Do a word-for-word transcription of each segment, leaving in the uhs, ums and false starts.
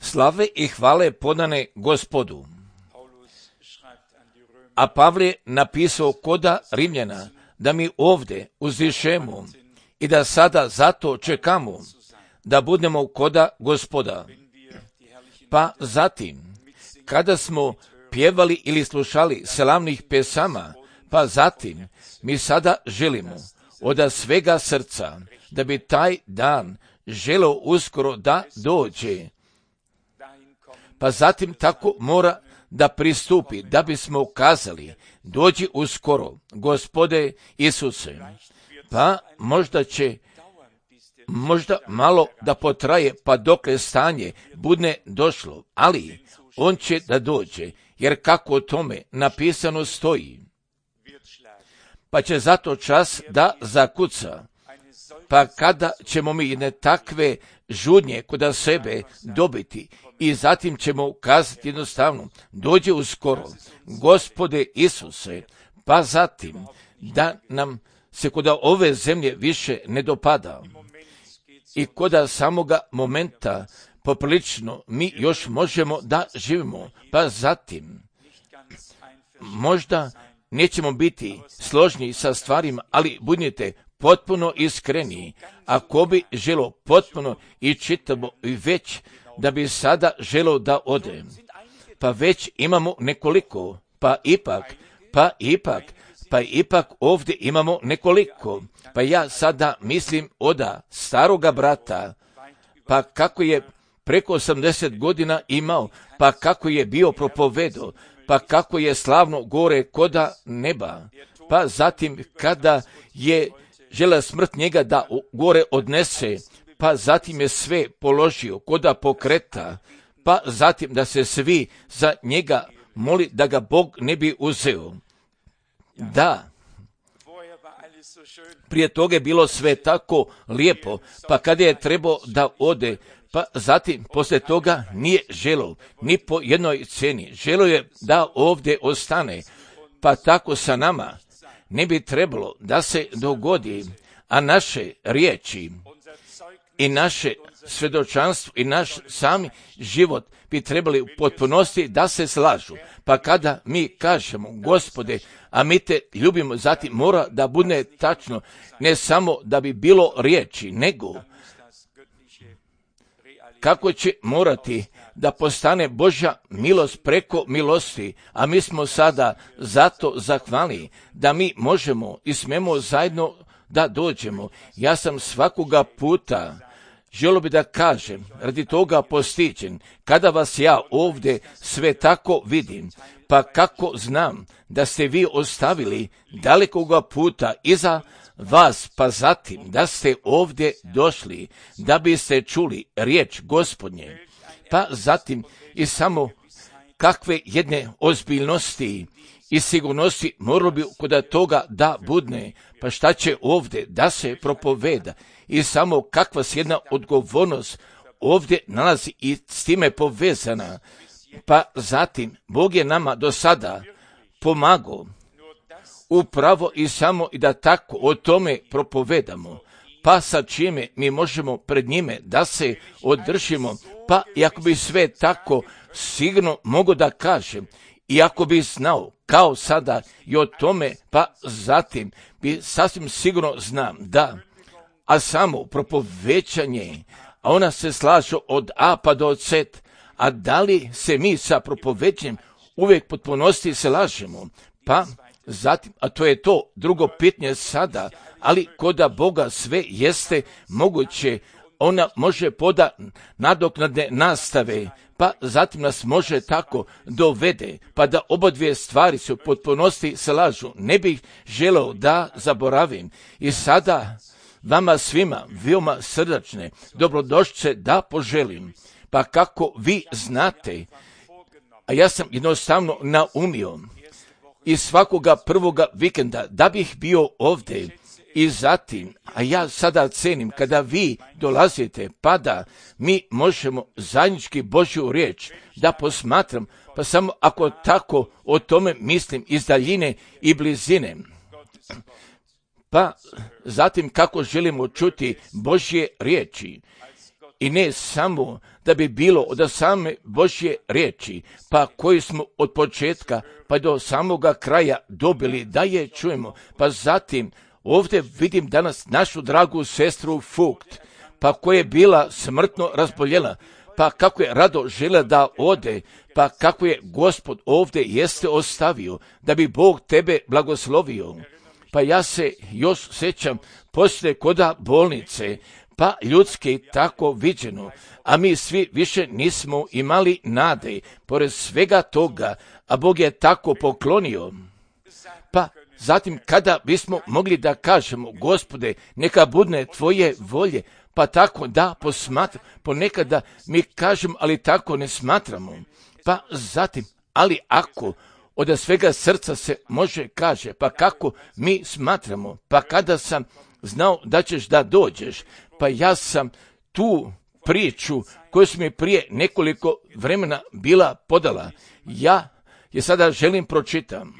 Slave i hvale podane Gospodu. A Pavle je napisao koda Rimljana da mi ovdje uzdišemo i da sada zato čekamo da budemo koda Gospoda. Pa zatim, kada smo pjevali ili slušali slavnih pesama, pa zatim mi sada želimo od svega srca da bi taj dan želeo uskoro da dođe. Pa zatim tako mora da pristupi, da bismo kazali, dođi uskoro, Gospode Isuse. Pa možda će, možda malo da potraje, pa dokle stanje budne došlo, ali on će da dođe, jer kako o tome napisano stoji. Pa će zato čas da zakuca. Pa kada ćemo mi jedne takve žudnje kod sebe dobiti i zatim ćemo kazati jednostavno, dođe uskoro, Gospode Isuse, pa zatim da nam se kod ove zemlje više ne dopada i kod samoga momenta poprilično mi još možemo da živimo, pa zatim možda nećemo biti složni sa stvarima, ali budite potpuno iskreni. Ako bi želo potpuno i čitavo i već da bi sada želo da ode, pa već imamo nekoliko, pa ipak, pa ipak, pa ipak ovdje imamo nekoliko. Pa ja sada mislim oda staroga brata, pa kako je preko osamdeset godina imao, pa kako je bio propovedo, pa kako je slavno gore koda neba, pa zatim kada je žela smrt njega da gore odnese, pa zatim je sve položio koda pokreta, pa zatim da se svi za njega moli da ga Bog ne bi uzeo. Da, prije toga je bilo sve tako lijepo, pa kada je trebao da ode, pa zatim poslije toga nije želo ni po jednoj cijeni. Želo je da ovdje ostane, pa tako sa nama ne bi trebalo da se dogodi, a naše riječi i naše svjedočanstvo i naš sami život bi trebali u potpunosti da se slažu. Pa kada mi kažemo, Gospode, a mi te ljubimo, zatim mora da bude tačno, ne samo da bi bilo riječi, nego kako će morati da postane Božja milost preko milosti, a mi smo sada zato zahvalni da mi možemo i smemo zajedno da dođemo. Ja sam svakoga puta želio bi da kažem, radi toga postiđen, kada vas ja ovdje sve tako vidim, pa kako znam da ste vi ostavili dalekoga puta iza vas, pa zatim da ste ovdje došli, da biste čuli riječ Gospodnje, pa zatim i samo kakve jedne ozbiljnosti i sigurnosti moralo bi kod toga da budne, pa šta će ovdje da se propoveda i samo kakva se jedna odgovornost ovdje nalazi i s time povezana, pa zatim Bog je nama do sada pomagao upravo i samo i da tako o tome propovedamo, pa sa čime mi možemo pred njime da se održimo, pa i ako bi sve tako sigurno mogu da kažem, i ako bi znao kao sada i o tome, pa zatim bi sasvim sigurno znam da, a samo propovećanje, a ona se slaže od A pa do Z, a da li se mi sa propovećanjem uvijek potpunosti se lažemo, pa zatim, a to je to drugo pitanje sada, ali koda Boga sve jeste moguće, ona može poda nadoknadne nastave, pa zatim nas može tako dovede, pa da oba dvije stvari se u potpunosti se lažu. Ne bih želeo da zaboravim i sada vama svima veoma srdačne dobrodošlice da poželim, pa kako vi znate, a ja sam jednostavno naumio i svakoga prvoga vikenda da bih bio ovdje i zatim, a ja sada cenim kada vi dolazite, pa da mi možemo zajednički Božju riječ da posmatram, pa samo ako tako o tome mislim iz daljine i blizine. Pa zatim kako želimo čuti Božje riječi i ne samo da bi bilo od same Božje riječi, pa koju smo od početka pa do samoga kraja dobili da je čujemo. Pa zatim ovdje vidim danas našu dragu sestru Fugt, pa koja je bila smrtno razboljela, pa kako je rado žele da ode, pa kako je Gospod ovdje jeste ostavio, da bi Bog tebe blagoslovio. Pa ja se još sjećam poslije koda bolnice, pa ljudski tako viđeno, a mi svi više nismo imali nade, pored svega toga, a Bog je tako poklonio. Pa zatim kada bismo mogli da kažemo, Gospode, neka budne tvoje volje, pa tako da posmatra, ponekada mi kažemo, ali tako ne smatramo. Pa zatim, ali ako od svega srca se može kaže, pa kako mi smatramo, pa kada sam znao da ćeš da dođeš, pa ja sam tu priču koju su mi prije nekoliko vremena bila podala, ja je sada želim pročitam.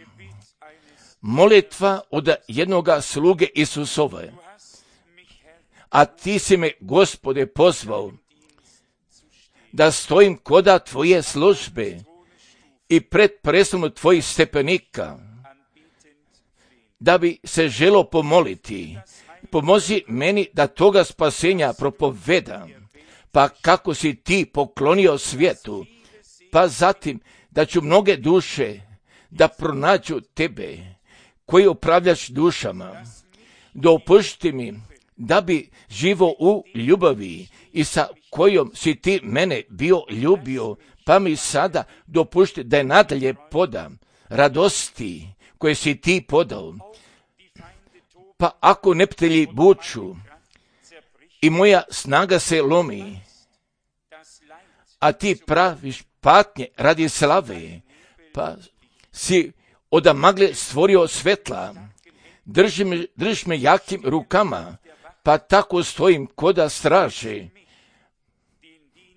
Molitva od jednoga sluge Isusove. A ti si me, Gospode, pozvao da stojim koda tvoje službe i pred preslom tvojih stepenika, da bi se želo pomoliti. Pomozi meni da toga spasenja propovedam, pa kako si ti poklonio svijetu, pa zatim da ću mnoge duše da pronađu tebe, koji upravljaš dušama. Dopušti mi da bi živo u ljubavi i sa kojom si ti mene bio ljubio, pa mi sada dopušti da je nadalje podam radosti koje si ti podao. Pa ako neptelji buču i moja snaga se lomi, a ti praviš patnje radi slave, pa si od magle stvorio svetla, drži me, držiš me jakim rukama, pa tako stojim koda straže,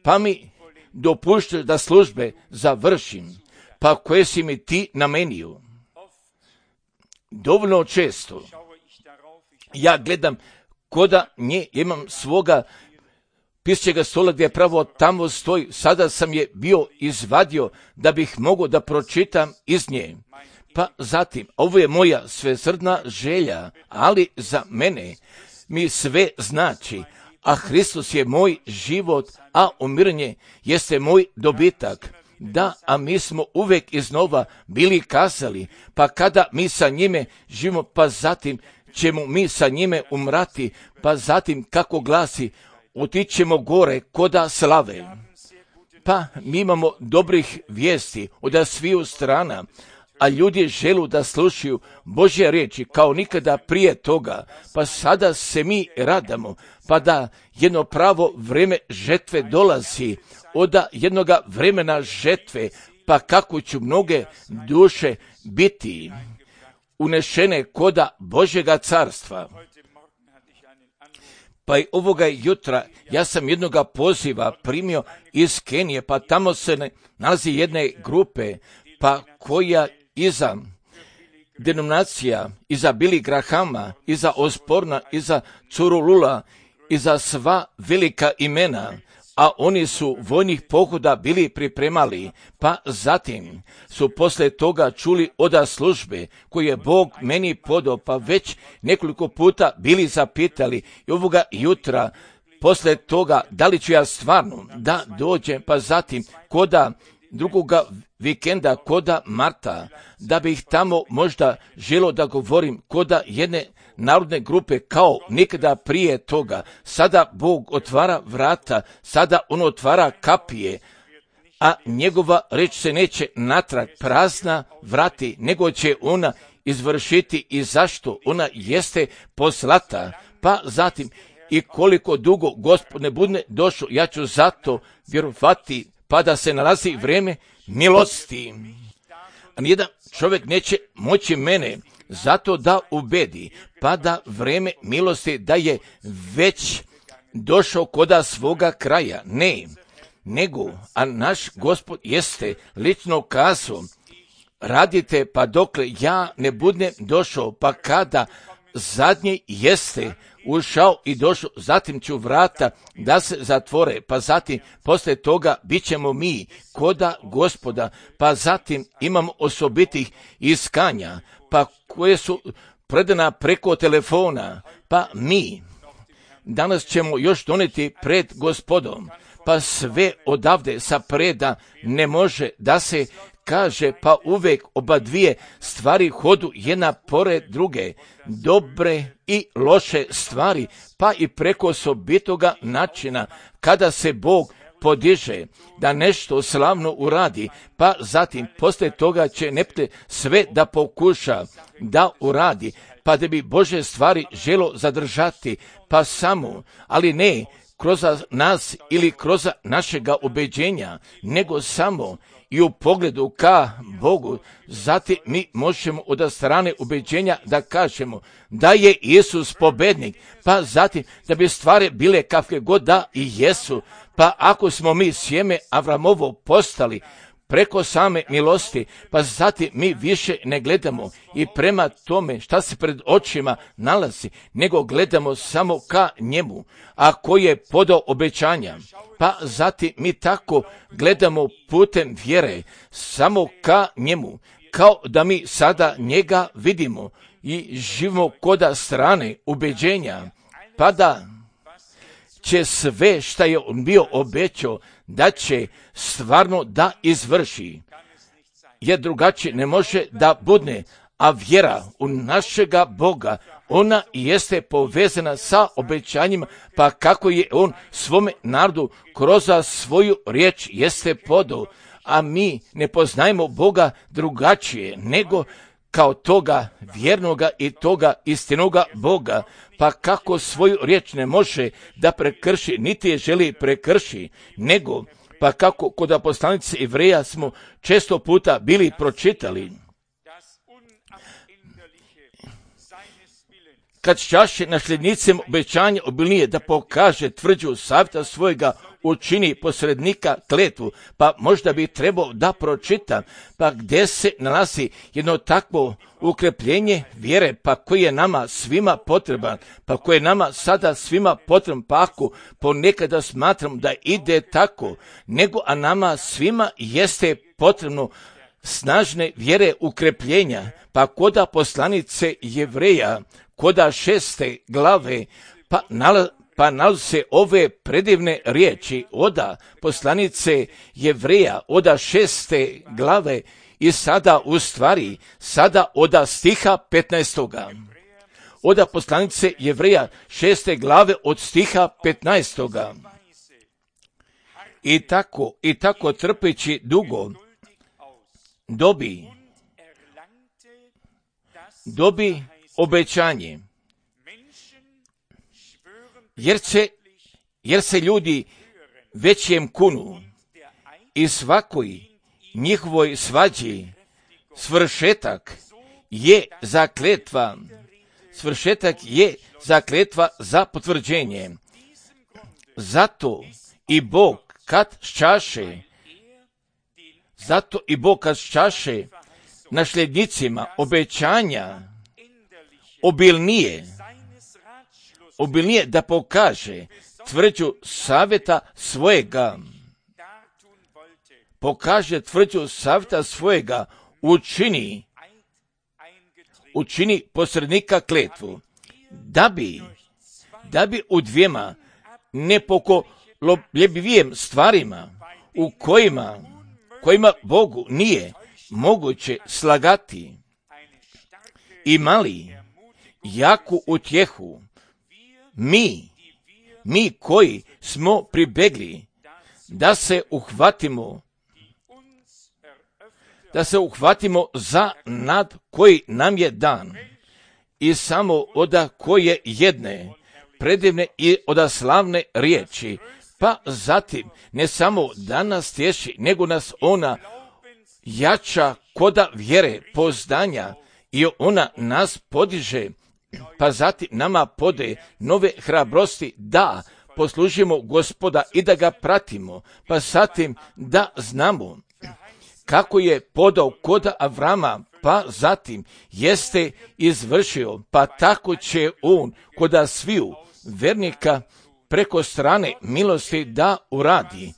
pa mi dopuštaš da službe završim, pa koje si mi ti namenio. Dovoljno često ja gledam koda nje, imam svoga pisaćega stola gdje pravo tamo stoji, sada sam je bio izvadio da bih mogao da pročitam iz nje. Pa zatim, ovo je moja svesrdna želja, ali za mene mi sve znači, a Hristos je moj život, a umiranje jeste moj dobitak. Da, a mi smo uvek iznova bili kazali, pa kada mi sa njime živimo, pa zatim ćemo mi sa njime umrati, pa zatim kako glasi, otićemo gore koda slave. Pa mi imamo dobrih vijesti od sviju strana, a ljudi želu da slušaju Božje riječi kao nikada prije toga, pa sada se mi radamo, pa da jedno pravo vreme žetve dolazi, od jednoga vremena žetve, pa kako ću mnoge duše biti unešene koda Božjega carstva. Pa i ovoga jutra ja sam jednoga poziva primio iz Kenije, pa tamo se nalazi jedne grupe, pa koja iza denominacija, iza Billy Grahama, iza Osborna, iza Curulula, iza sva velika imena, a oni su vojnih pohoda bili pripremali, pa zatim su posle toga čuli oda službe koje je Bog meni podao, pa već nekoliko puta bili zapitali i ovoga jutra posle toga da li ću ja stvarno da dođem, pa zatim koda drugoga vikenda, koda marta, da bih tamo možda želo da govorim koda jedne narodne grupe kao nikada prije toga. Sada Bog otvara vrata, sada on otvara kapije, a njegova reč se neće natrag prazna vrati, nego će ona izvršiti i zašto ona jeste poslata. Pa zatim i koliko dugo Gospod ne bude došao, ja ću zato vjerovati, pa da se nalazi vrijeme milosti. A nijedan čovjek neće moći mene zato da ubedi, pa da vrijeme milosti da je već došao koda svoga kraja. Ne, nego, a naš Gospod jeste lično kazao, radite pa dokle ja ne budem došao, pa kada zadnji jeste ušao i došao, zatim ću vrata da se zatvore, pa zatim poslije toga bit ćemo mi koda Gospoda, pa zatim imamo osobitih iskanja, pa koje su predana preko telefona, pa mi danas ćemo još doneti pred Gospodom, pa sve odavde sa preda ne može da se kaže, pa uvijek oba dvije stvari hodu jedna pored druge, dobre i loše stvari, pa i preko osobitoga načina kada se Bog podiže da nešto slavno uradi, pa zatim poslije toga će nepte sve da pokuša da uradi, pa da bi Bože stvari želo zadržati, pa samo, ali ne kroz nas ili kroz našega ubeđenja, nego samo i u pogledu ka Bogu. Zatim mi možemo od strane ubeđenja da kažemo da je Isus pobednik, pa zatim da bi stvari bile kakve god da i jesu, pa ako smo mi sjeme Avramovo postali preko same milosti, pa zatim mi više ne gledamo i prema tome šta se pred očima nalazi, nego gledamo samo ka njemu, a koji je podao obećanja. Pa zatim mi tako gledamo putem vjere samo ka njemu, kao da mi sada njega vidimo i živimo koda strane ubeđenja, pa da će sve šta je on bio obećao da će stvarno da izvrši, jer drugačije ne može da bude, a vjera u našega Boga, ona jeste povezana sa obećanjima, pa kako je on svome narodu kroz svoju riječ jeste podao, a mi ne poznajemo Boga drugačije nego kao toga vjernoga i toga istinoga Boga, pa kako svoju riječ ne može da prekrši, niti je želi prekrši, nego pa kako kod poslanice Jevreja smo često puta bili pročitali, kad čaše nasljednicima obećanja obilnije da pokaže tvrđu savjeta svojega, učini posrednika kletvu, pa možda bi trebao da pročita, pa gdje se nalazi jedno takvo ukrepljenje vjere, pa koji je nama svima potreban, pa koji je nama sada svima potreban, pa ako ponekada smatram da ide tako, nego a nama svima jeste potrebno snažne vjere ukrepljenja, pa koda poslanice Jevreja, koda šeste glave, pa nalazi Pa nalaze ove predivne riječi oda poslanice Jevreja, oda šeste glave i sada u stvari, sada oda stiha petnaestoga. Oda poslanice Jevreja šeste glave od stiha petnaestoga. I tako, i tako trpeći dugo, dobi, dobi obećanje. Jer se, jer se ljudi većem kunu i svakoj njihovoj svađi svršetak je zakletva, svršetak je zakletva za potvrđenje. Zato i Bog kad ščaše, zato i Bog kad ščaše nasljednicima obećanja obilnije, obilnije da pokaže tvrđu savjeta svojega, pokaže tvrđu savjeta svojega, učini, učini posrednika kletvu, da bi, da bi u dvijema nepokolebljivijim stvarima u kojima, kojima Bogu nije moguće slagati, imali jaku utjehu, Mi, mi koji smo pribegli da se uhvatimo, da se uhvatimo za nad koji nam je dan i samo oda koje jedne predivne i oda slavne riječi, pa zatim ne samo da nas tješi, nego nas ona jača koda vjere poznanja i ona nas podiže, pa zatim nama pode nove hrabrosti da poslužimo Gospoda i da ga pratimo, pa zatim da znamo kako je podao koda Avrama pa zatim jeste izvršio, pa tako će on koda sviju vernika preko strane milosti da uradi.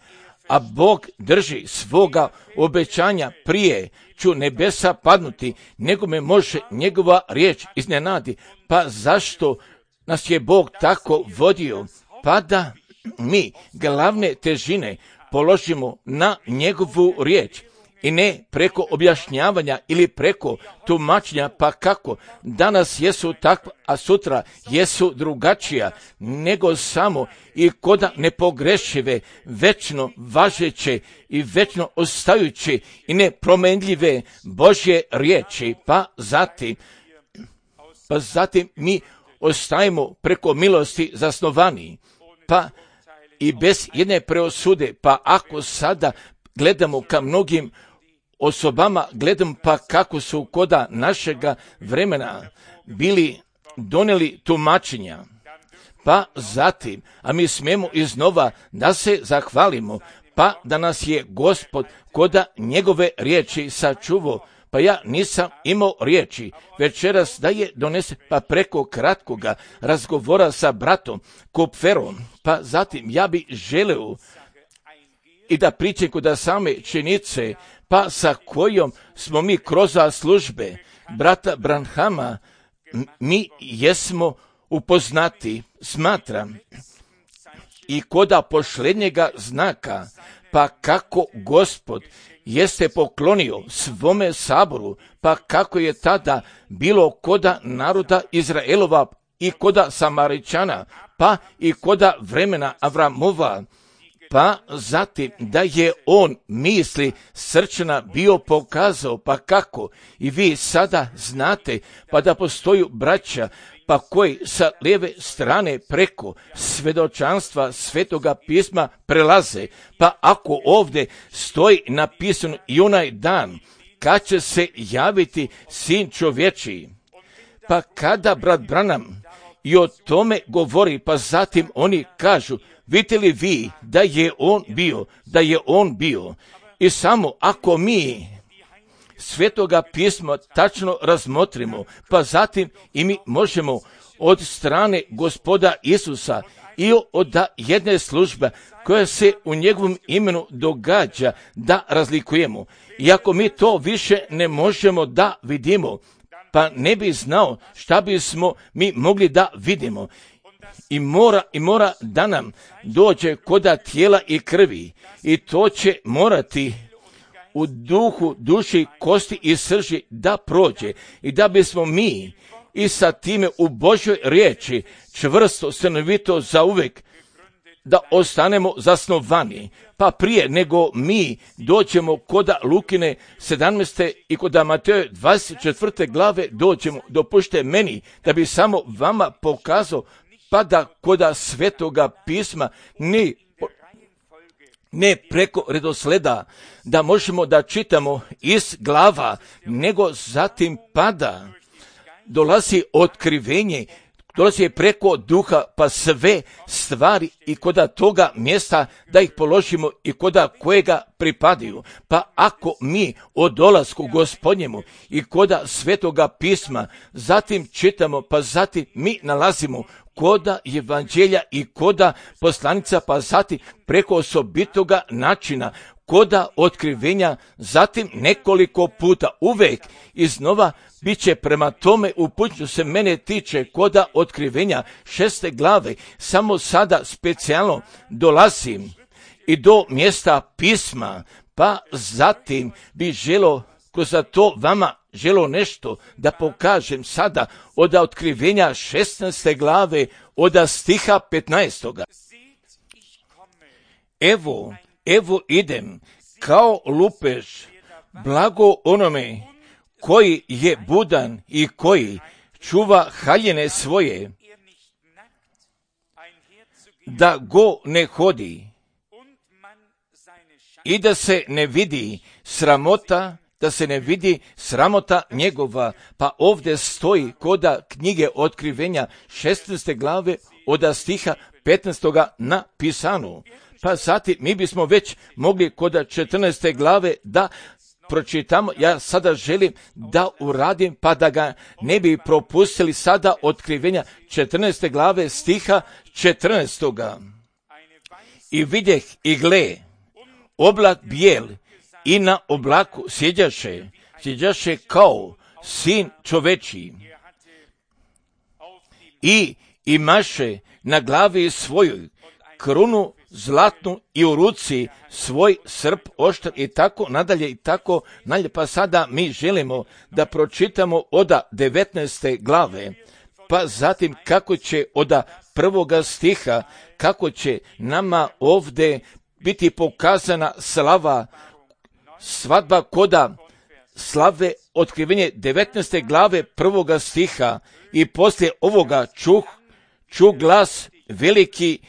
A Bog drži svoga obećanja, prije ću nebesa padnuti, nego me može njegova riječ iznenadi. Pa zašto nas je Bog tako vodio? Pa da mi glavne težine položimo na njegovu riječ i ne preko objašnjavanja ili preko tumačenja, pa kako danas jesu takva, a sutra jesu drugačija, nego samo i koda nepogrešive, večno važeće i večno ostajuće i nepromenljive Božje riječi. Pa zatim, pa zatim mi ostajemo preko milosti zasnovani, pa i bez jedne preosude. Pa ako sada gledamo ka mnogim osobama, gledam pa kako su koda našega vremena bili donijeli tumačenja, pa zatim, a mi smijemo iznova da se zahvalimo, pa da nas je Gospod koda njegove riječi sačuvao. Pa ja nisam imao riječi večeras da je donese, pa preko kratkoga razgovora sa bratom Kupferom, pa zatim ja bi želeo i da pričam kod same činjenice, pa sa kojom smo mi kroz službe brata Branhama, mi jesmo upoznati, smatram, i koda posljednjega znaka, pa kako Gospod jeste poklonio svome saboru, pa kako je tada bilo koda naroda Izraelova i koda Samaričana, pa i koda vremena Avramova, pa zatim da je on misli srčana bio pokazao, pa kako i vi sada znate, pa da postoju braća, pa koji sa lijeve strane preko svedočanstva Svetoga pisma prelaze, pa ako ovdje stoji napisano i onaj dan kad će se javiti Sin čovječiji, pa kada brat Branham i o tome govori, pa zatim oni kažu, vidite li vi da je on bio, da je on bio. I samo ako mi Svetoga pisma tačno razmotrimo, pa zatim i mi možemo od strane Gospoda Isusa i od jedne službe koja se u njegovom imenu događa da razlikujemo. I ako mi to više ne možemo da vidimo, pa ne bi znao šta bismo mi mogli da vidimo. I mora, i mora da nam dođe koda tijela i krvi, i to će morati u duhu, duši, kosti i srži da prođe, i da bismo mi i sa time u Božoj riječi čvrsto, stanovito zauvek da ostanemo zasnovani. Pa prije nego mi dođemo koda Lukine sedamnaeste i koda Mateje dvadeset četvrte glave dođemo, dopušte meni da bi samo vama pokazao, pa da koda Svetoga pisma ne, ne preko redosleda da možemo da čitamo iz glava, nego zatim pada dolazi otkrivenje, dolazi preko duha, pa sve stvari i koda toga mjesta da ih položimo i koda kojega pripadaju. Pa ako mi o dolasku Gospodnjemu i koda Svetoga pisma zatim čitamo, pa zatim mi nalazimo koda evanđelja i koda poslanica, pa zatim preko osobitoga načina, koda otkrivenja, zatim nekoliko puta, uvek iznova bit će prema tome upućeno se mene tiče koda otkrivenja šeste glave, samo sada specijalno dolazim i do mjesta pisma, pa zatim bi želo kroz to vama želo nešto da pokažem sada od otkrivenja šesnaeste glave od stiha petnaestoga. Evo, evo idem kao lupež, blago onome koji je budan i koji čuva haljine svoje, da go ne hodi i da se ne vidi sramota, da se ne vidi sramota njegova. Pa ovdje stoji koda knjige otkrivenja šesnaeste glave od stiha petnaestoga napisano. Pa zatim mi bismo već mogli koda četrnaeste glave da pročitamo, ja sada želim da uradim pa da ga ne bi propustili sada Otkrivenja četrnaeste glave stiha četrnaestoga. I vidjeh i gle, oblak bijel i na oblaku sjeđaše, sjeđaše kao sin čovečiji. I imaše na glavi svojoj krunu zlatnu i u ruci svoj srp oštar i tako nadalje i tako nadalje. Pa sada mi želimo da pročitamo od devetnaeste glave, pa zatim kako će od prvoga stiha, kako će nama ovdje biti pokazana slava, svadba koda slave Otkrivenje devetnaeste glave prvoga stiha. I poslije ovoga čuh, čuh glas veliki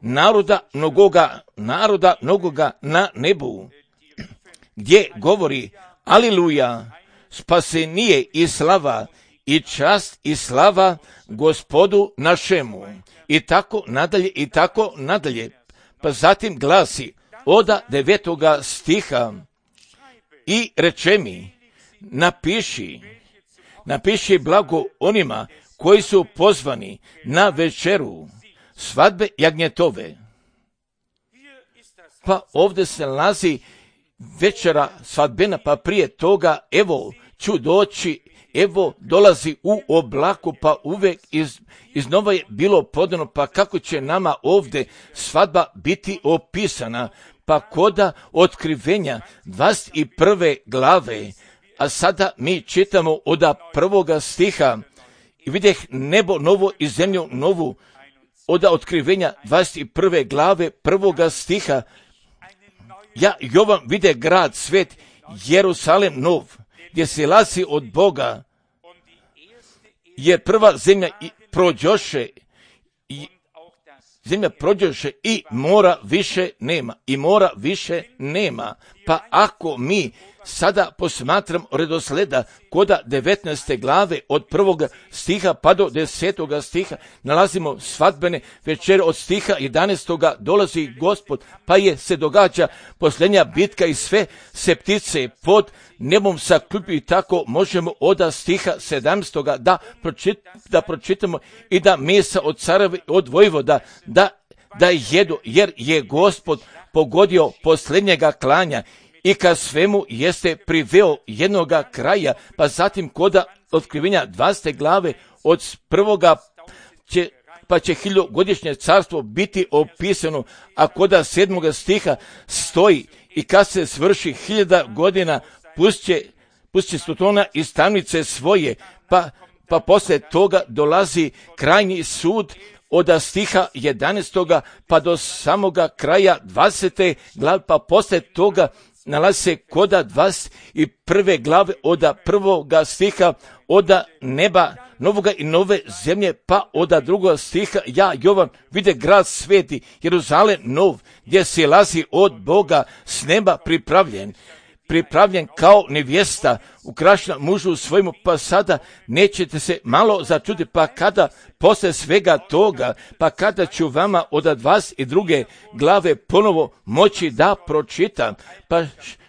naroda mnogoga, naroda mnogoga na nebu, gdje govori: Aliluja, spasenije i slava i čast i slava Gospodu našemu. I tako nadalje i tako nadalje. Pa zatim glasi od devetoga stiha: I reče mi, napiši, napiši blago onima koji su pozvani na večeru svadbe jagnjetove. Pa ovdje se nalazi večera svadbena, pa prije toga evo ću doći, evo dolazi u oblaku, pa uvijek iz, iznova je bilo podano, pa kako će nama ovdje svadba biti opisana. Pa koda Otkrivenja dvadeset prve glave, a sada mi čitamo od prvoga stiha: I vidjeh nebo novo i zemlju novu, od Otkrivenja dvadeset prve glave prvoga stiha. Ja, Jovan, vide grad svet, Jerusalem nov, gdje se lazi od Boga, jer prva zemlja prođoše, i zemlja prođoše i mora više nema, i mora više nema. Pa ako mi sada posmatram redosleda koda devetnaeste glave od prvoga stiha pa do desetoga stiha, nalazimo svadbene večere. Od stiha jedanaestoga dolazi Gospod, pa je se događa posljednja bitka i sve se ptice pod nebom saklupi. I tako možemo od stiha sedamstoga da, pročit, da pročitamo i da mesa od careva od vojvoda da, da jedu, jer je Gospod pogodio posljednjega klanja i ka svemu jeste priveo jednoga kraja. Pa zatim koda Otkrivenja dvadesete glave od prvoga će, pa će hiljogodišnje carstvo biti opisano, a koda sedmoga stiha stoji: I kad se svrši hiljada godina, pusće, pusće stotona iz tamnice svoje. Pa, pa poslije toga dolazi krajnji sud od stiha jedanaestoga pa do samoga kraja dvadesete glave, pa poslije toga nalazi se koda dvadeset prve glave od prvoga stiha: Od neba novoga i nove zemlje, pa od drugoga stiha: Ja, Jovan, vide grad sveti, Jeruzalem nov, gdje se lazi od Boga s neba pripravljen, pripravljen kao nevjesta ukrašena mužu svojemu. Pa sada nećete se malo začuditi, pa kada posle svega toga, pa kada ću vama od dvadeset druge glave ponovo moći da pročitam, pa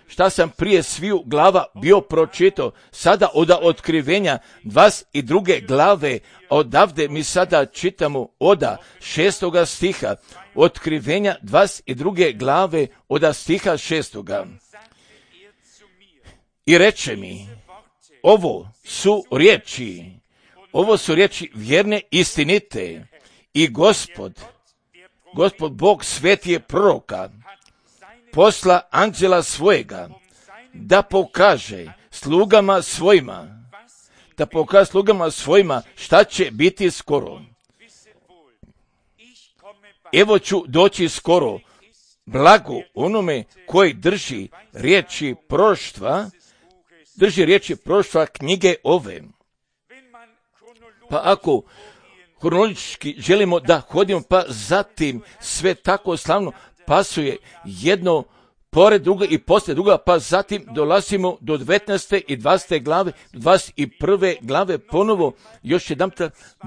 šta sam prije sviju glava bio pročitao, sada od Otkrivenja dvadeset druge glave, odavde mi sada čitamo od šestoga stiha, Otkrivenja dvadeset druge glave od stiha šestoga. I reče mi, ovo su riječi, ovo su riječi vjerne, istinite, i Gospod, Gospod Bog svetije proroka, posla anđela svojega, da pokaže slugama svojima, da pokaže slugama svojima šta će biti skoro. Evo ću doći skoro, blago onome koji drži riječi proroštva, drži riječi proroštva knjige ove. Pa ako hronologički želimo da hodimo, pa zatim sve tako slavno pasuje jedno pored druga i poslije druga, pa zatim dolazimo do devetnaeste i dvadesete glave, dvadeset prve glave ponovo, još jedan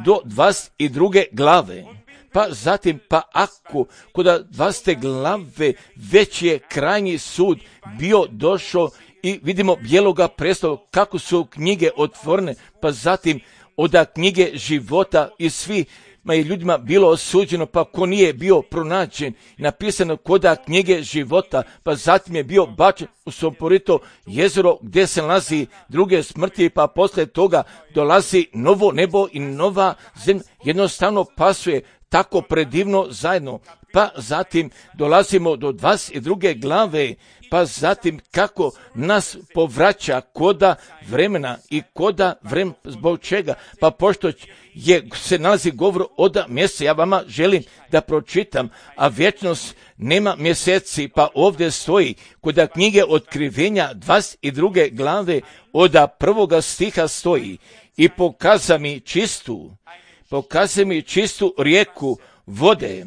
do dvadeset druge glave. Pa zatim, pa ako kod dvadesete glave već je krajnji sud bio došao i vidimo bijeloga prestola, kako su knjige otvorene, pa zatim od knjige života i svi ma je ljudima bilo osuđeno, pa ko nije bio pronađen, napisano koda knjige života, pa zatim je bio bačen u Soporito jezero gdje se nalazi druge smrti, pa posle toga dolazi novo nebo i nova zemlja, jednostavno pasuje tako predivno zajedno. Pa zatim dolazimo do dvadeset druge glave, pa zatim kako nas povraća koda vremena i koda vremena, zbog čega, pa pošto je, se nalazi govor od mjeseca, ja vama želim da pročitam, a vječnost nema mjeseci, pa ovdje stoji koda knjige Otkrivenja dvadeset druge glave od prvoga stiha stoji i pokaza mi čistu, pokaza mi čistu rijeku vode,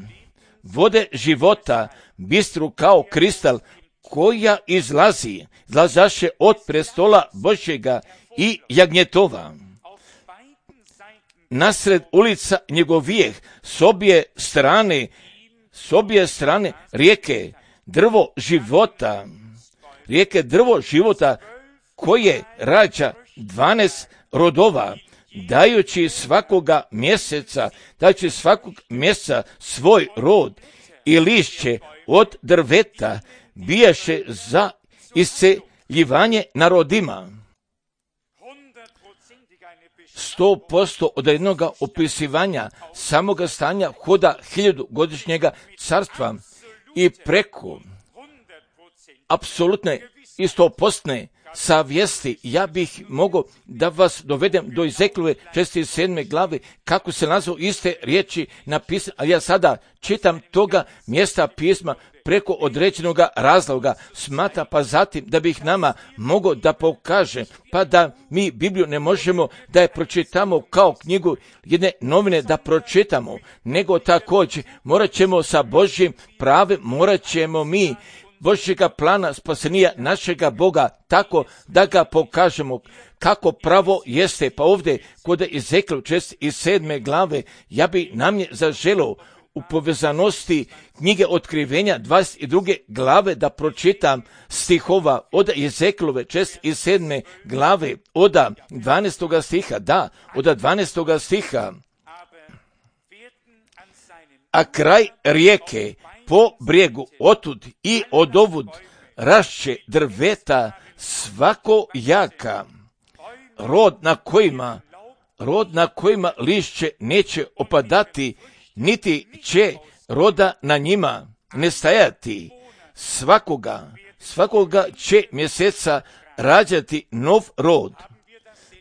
vode života, bistru kao kristal, koja izlazi, izlazaše od prestola Božjega i jagnjetova. Nasred ulica njegovijeh, s obje strane, s obje strane rijeke, drvo života, rijeke drvo života, koje rađa dvanaest rodova, dajući svakoga mjeseca, dajući svakog mjeseca svoj rod i lišće od drveta, bijaše za isceljivanje narodima. Sto posto od jednog opisivanja samoga stanja hoda hiljadugodišnjega carstva i preko apsolutne i stopostne savjesti, ja bih mogao da vas dovedem do Ezekijelove šezdeset sedme glave, kako se nazvao iste riječi napisane, ali ja sada čitam toga mjesta pisma preko određenog razloga, smata, pa zatim da bih nama mogao da pokaže, pa da mi Bibliju ne možemo da je pročitamo kao knjigu jedne novine da pročitamo, nego također morat ćemo sa Božjim pravem, morat ćemo mi Božjega plana spasenija našega Boga tako da ga pokažemo kako pravo jeste. Pa ovdje kod Ezekijela šezdeset sedme glave ja bi nam je zaželio u povezanosti knjige Otkrivenja dvadeset druge glave da pročitam stihova od Ezekijelove šezdeset sedme glave od dvanaestoga stiha, da, od dvanaestoga stiha. A kraj rijeke po brijegu otud i odovud rašće drveta svako jaka, rod na kojima, rod na kojima lišće neće opadati, niti će roda na njima nestajati. Svakoga, svakoga će mjeseca rađati nov rod.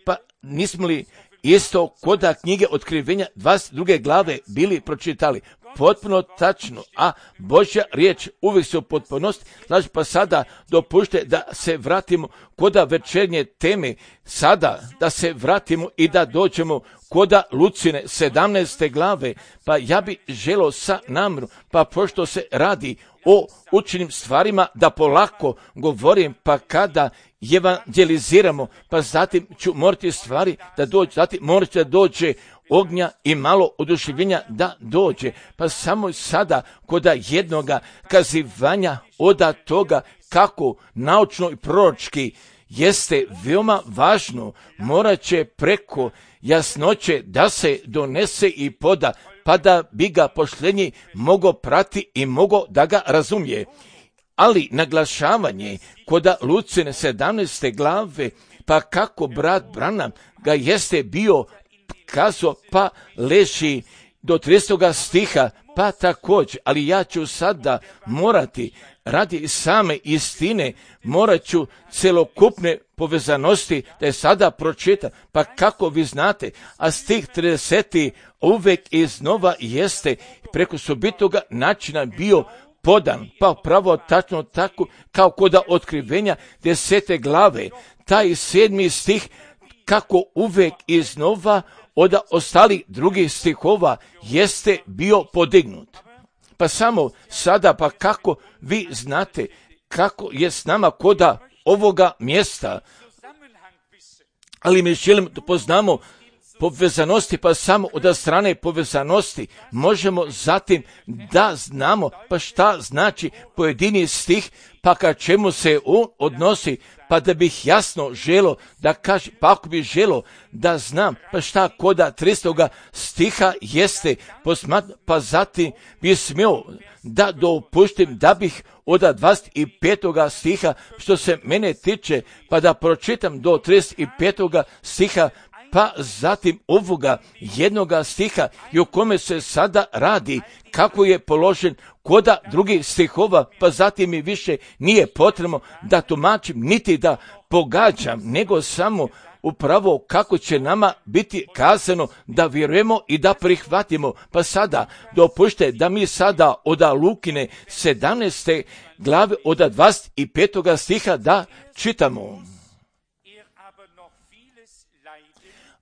Pa nismo li isto koda knjige Otkrivenja dvadeset druge glave bili pročitali? Potpuno tačno, a Božja riječ uvijek se u potpunosti. Znači, pa sada dopušte da se vratimo koda večernje teme, sada da se vratimo i da dođemo koda Lucine sedamnaeste glave, pa ja bi želio sa namjerom, pa pošto se radi o učenim stvarima da polako govorim, pa kada evangeliziramo, pa zatim ću morati stvari da dođe, zatim morati da dođe ognja i malo oduševljenja da dođe, pa samo sada koda jednoga kazivanja oda toga kako naučno i proročki jeste veoma važno, morat će preko jasnoće da se donese i poda, pa da bi ga poštenji mogao prati i mogao da ga razumije. Ali naglašavanje koda Lucine sedamnaeste glave, pa kako brat Branham ga jeste bio kazo, pa leži do tridesetog stiha, pa također, ali ja ću sada morati radi same istine, morat ću celokupne povezanosti da je sada pročitam, pa kako vi znate, a stih trideseti uvek iznova jeste preko sobitoga načina bio podan, pa pravo tačno tako kao koda Otkrivenja desete glave, taj sedmi stih kako uvek iznova od ostalih drugih stihova jeste bio podignut. Pa samo sada, pa kako vi znate kako je s nama koda ovoga mjesta, ali mi želim da poznamo povezanosti, pa samo od strane povezanosti možemo zatim da znamo pa šta znači pojedini stih, pa ka čemu se on odnosi, pa da bih jasno želo da kažem, pa ako bih želo da znam pa šta koda tristoga stiha jeste, pa zatim bih smio da dopuštim da bih od dvadeset petoga stiha što se mene tiče, pa da pročitam do trideset petoga stiha, pa zatim ovoga jednoga stiha i o kome se sada radi, kako je položen koda drugih stihova, pa zatim mi više nije potrebno da tumačim niti da pogađam, nego samo upravo kako će nama biti kazano da vjerujemo i da prihvatimo. Pa sada dopušte da mi sada od Lukine sedamnaeste glave od dvadeset petoga stiha da čitamo.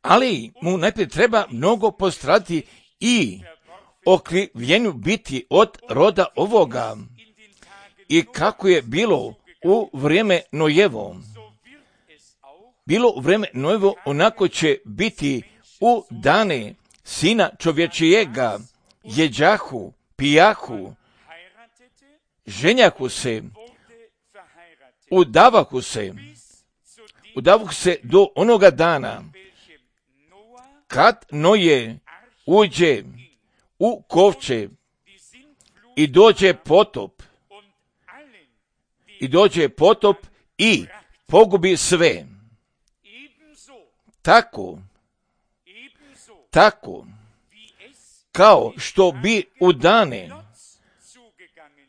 Ali mu najprije treba mnogo postradati i okrivljenju biti od roda ovoga. I kako je bilo u vrijeme Nojevo, bilo u vrijeme Nojevo, onako će biti u dane sina čovječijega, jeđahu, pijahu, ženjahu se, udavahu se, udavahu se do onoga dana, kad Noje uđe u kovče i dođe potop, i dođe potop i pogubi sve. Tako, tako, kao što bi u dane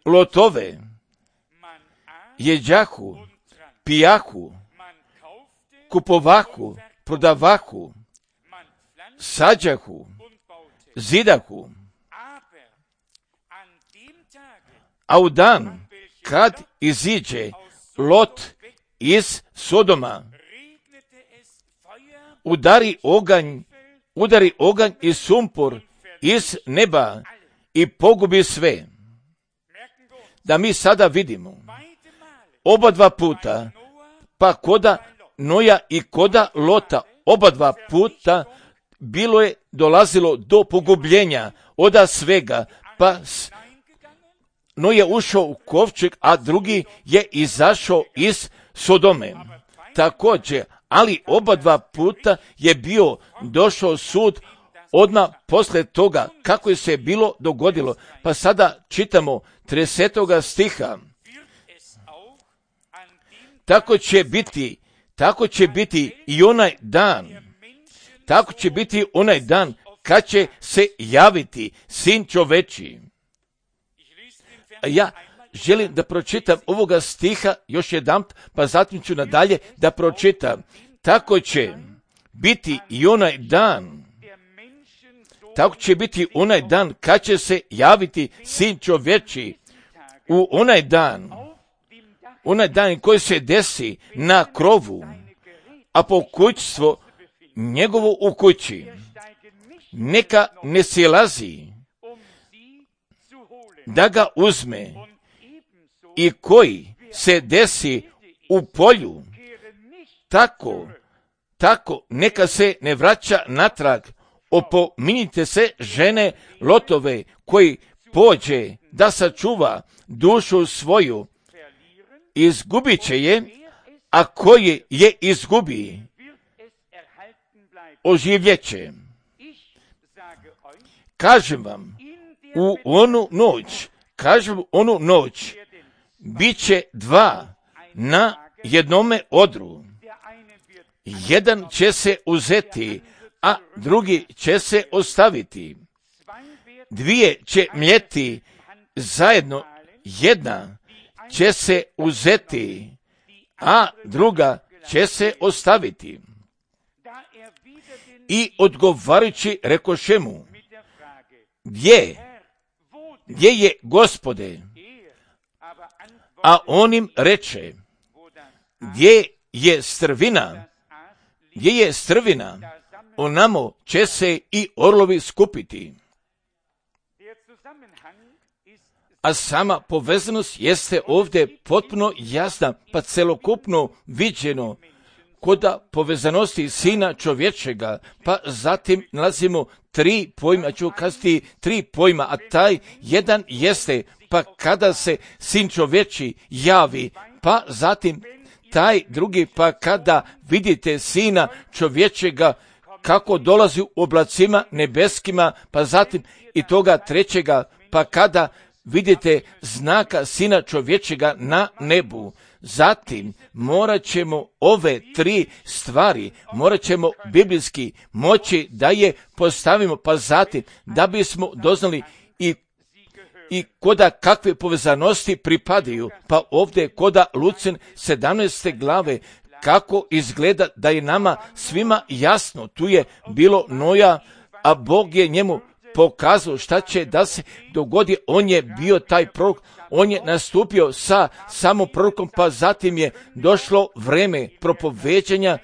Lotove, jeđahu, pijahu, kupovahu, prodavahu, sađahu, zidahu, a u dan kad iziđe Lot iz Sodoma, udari oganj, udari oganj i sumpor iz neba i pogubi sve. Da mi sada vidimo oba dva puta, pa koda Noja i koda Lota, oba dva puta bilo je dolazilo do pogubljenja oda svega, pa Noje ušao u kovčeg, a drugi je izašao iz Sodome. Također, ali oba dva puta je bio došao sud odmah posle toga kako je se bilo dogodilo. Pa sada čitamo tridesetoga stiha. Tako će biti, tako će biti i onaj dan, tako će biti onaj dan kad će se javiti Sin čovečiji. Ja želim da pročitam ovoga stiha još jedan, pa zatim ću nadalje da pročitam. Tako će biti i onaj dan, tako će biti onaj dan kad će se javiti Sin čovječiji. U onaj dan, onaj dan koji se desi na krovu, a pokućstvo njegovo u kući, neka ne silazi da ga uzme, i koji se desi u polju, tako, tako neka se ne vraća natrag. Opominjite se žene Lotove, koji pođe da sačuva dušu svoju, izgubit će je, a koji je izgubi, oživljeće. Kažem vam, u onu noć, kažem onu noć, bit će dva na jednome odru. Jedan će se uzeti, a drugi će se ostaviti. Dvije će mljeti zajedno, jedna će se uzeti, a druga će se ostaviti. I odgovarajući rekoše mu, gdje, gdje je Gospode? A on im reče, gdje je strvina, gdje je strvina, onamo će se i orlovi skupiti. A sama povezanost jeste ovdje potpuno jasna, pa celokupno viđeno kod povezanosti Sina čovječega, pa zatim nalazimo tri pojma, ću kazati tri pojma, a taj jedan jeste, pa kada se Sin čovječi javi, pa zatim taj drugi, pa kada vidite Sina čovječega kako dolazi u oblacima nebeskima, pa zatim i toga trećega, pa kada vidite znaka Sina čovječega na nebu. Zatim morat ćemo ove tri stvari, morat ćemo biblijski moći da je postavimo, pa zatim da bismo doznali i i koda kakve povezanosti pripadaju, pa ovdje koda Lucin sedamnaeste glave, kako izgleda da je nama svima jasno, tu je bilo Noja, a Bog je njemu pokazao šta će da se dogodi, on je bio taj prorok, on je nastupio sa samom prorokom, pa zatim je došlo vreme propoveđanja,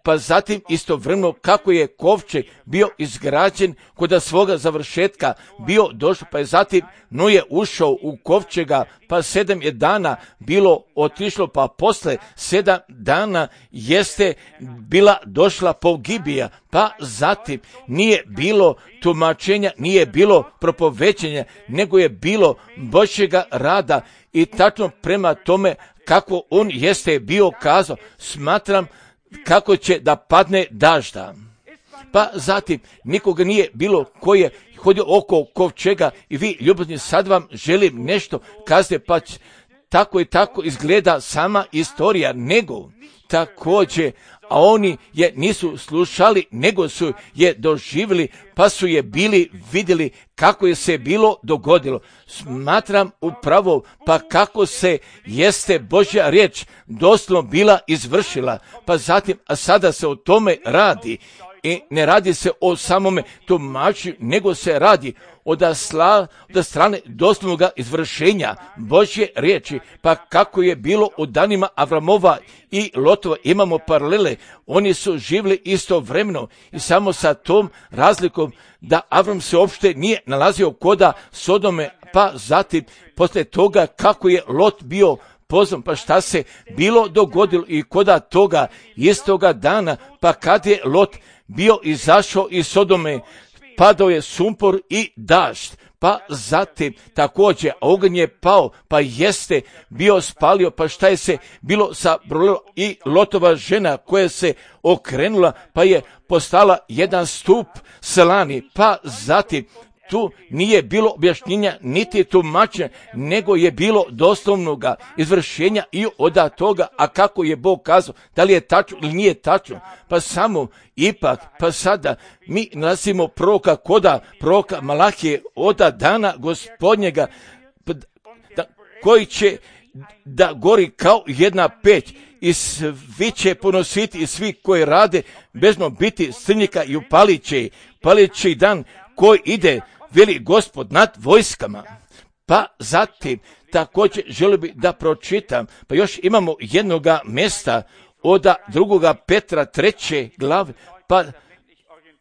pa zatim istovremeno kako je kovčeg bio izgrađen kod svoga završetka bio došao, pa je zatim Noje ušao u kovčega, pa sedam je dana bilo otišlo, pa posle sedam dana jeste bila došla pogibija, pa zatim nije bilo tumačenja, nije bilo propoveđenja, nego je bilo Božjega rada i tačno prema tome kako on jeste bio kazao, smatram kako će da padne dažda. Pa zatim nikoga nije bilo koji je hodio oko kovčega i vi ljubazni sad vam želim nešto kazati, pa tako i tako izgleda sama istorija, nego također, a oni je nisu slušali, nego su je doživjeli, pa su je bili vidjeli kako je se bilo dogodilo. Smatram upravo, pa kako se jeste Božja riječ doslovno bila izvršila, pa zatim, a sada se o tome radi. I ne radi se o samome tumačenju, nego se radi od, asla, od strane doslovnog izvršenja Božje riječi, pa kako je bilo u danima Avramova i Lotova, imamo paralele, oni su živjeli istovremeno i samo sa tom razlikom da Avram se uopšte nije nalazio koda Sodome, pa zatim posle toga kako je Lot bio pozvan, pa šta se bilo dogodilo i koda toga istoga dana, pa kad je Lot bio izašao iz Sodome, padao je sumpor i dažd, pa zatim također oganj je pao, pa jeste bio spalio, pa šta je se bilo sa brolom i Lotova žena koja se okrenula, pa je postala jedan stup slani, pa zatim tu nije bilo objašnjenja niti tumačenja, nego je bilo doslovnoga izvršenja i od toga, a kako je Bog kazao, da li je tačno ili nije tačno, pa samo ipak, pa sada mi nalazimo proroka koda proroka Malahije od dana gospodnjega, koji će da gori kao jedna peć i svi će ponositi i svi koji rade bezno biti strnjika i upalit će, palit će dan koji ide, veli Gospod nad vojskama. Pa zatim također želio bi da pročitam, pa još imamo jednoga mjesta od drugoga Petra treće glave, pa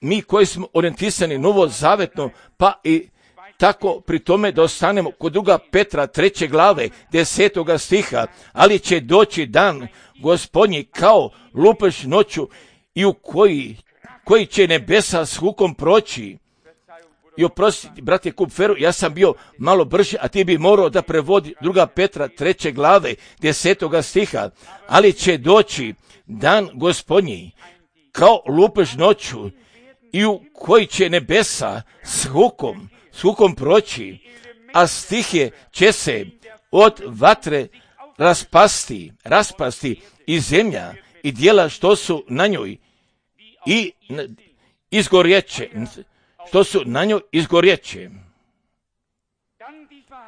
mi koji smo orijentisani novozavetno, pa i tako pri tome da ostanemo kod druga Petra treće glave desetoga stiha, ali će doći dan Gospodnji kao lupež noću i u koji, koji će nebesa s hukom proći. I oprosti, brate Kupferu, ja sam bio malo brži, a ti bi morao da prevodi druga Petra treće glave desetoga stiha, ali će doći dan Gospodnji kao lupež noću i u koji će nebesa s hukom, s hukom proći, a stihe će se od vatre raspasti, raspasti i zemlja i dijela što su na njoj i izgorjeće, što su na njoj izgorjeće.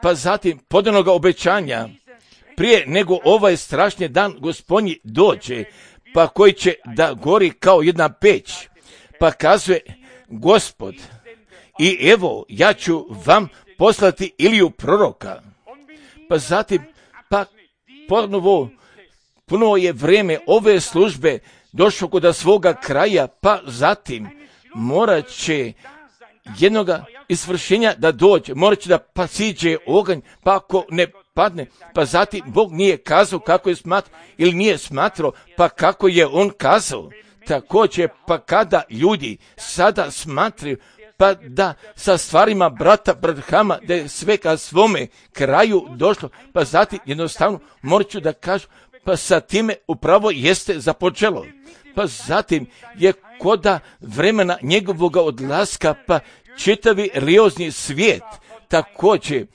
Pa zatim podanoga obećanja, prije nego ovaj strašni dan Gospodnji dođe, pa koji će da gori kao jedna peć, pa kazuje Gospod, i evo ja ću vam poslati Iliju proroka. Pa zatim, pa ponovo, ponovo je vrijeme ove službe došlo kod svoga kraja, pa zatim morat će jednoga izvršenja da dođe, morat će da pa siđe oganj, pa ako ne padne, pa zatim Bog nije kazao kako je smatrao ili nije smatrao, pa kako je on kazao. Također, pa kada ljudi sada smatraju, pa da sa stvarima brata Branhama, da je sve ka svome kraju došlo, pa zatim jednostavno morat ću da kažu, pa sa time upravo jeste započelo. Pa zatim je koda vremena njegovoga odlaska, pa čitavi religiozni svijet također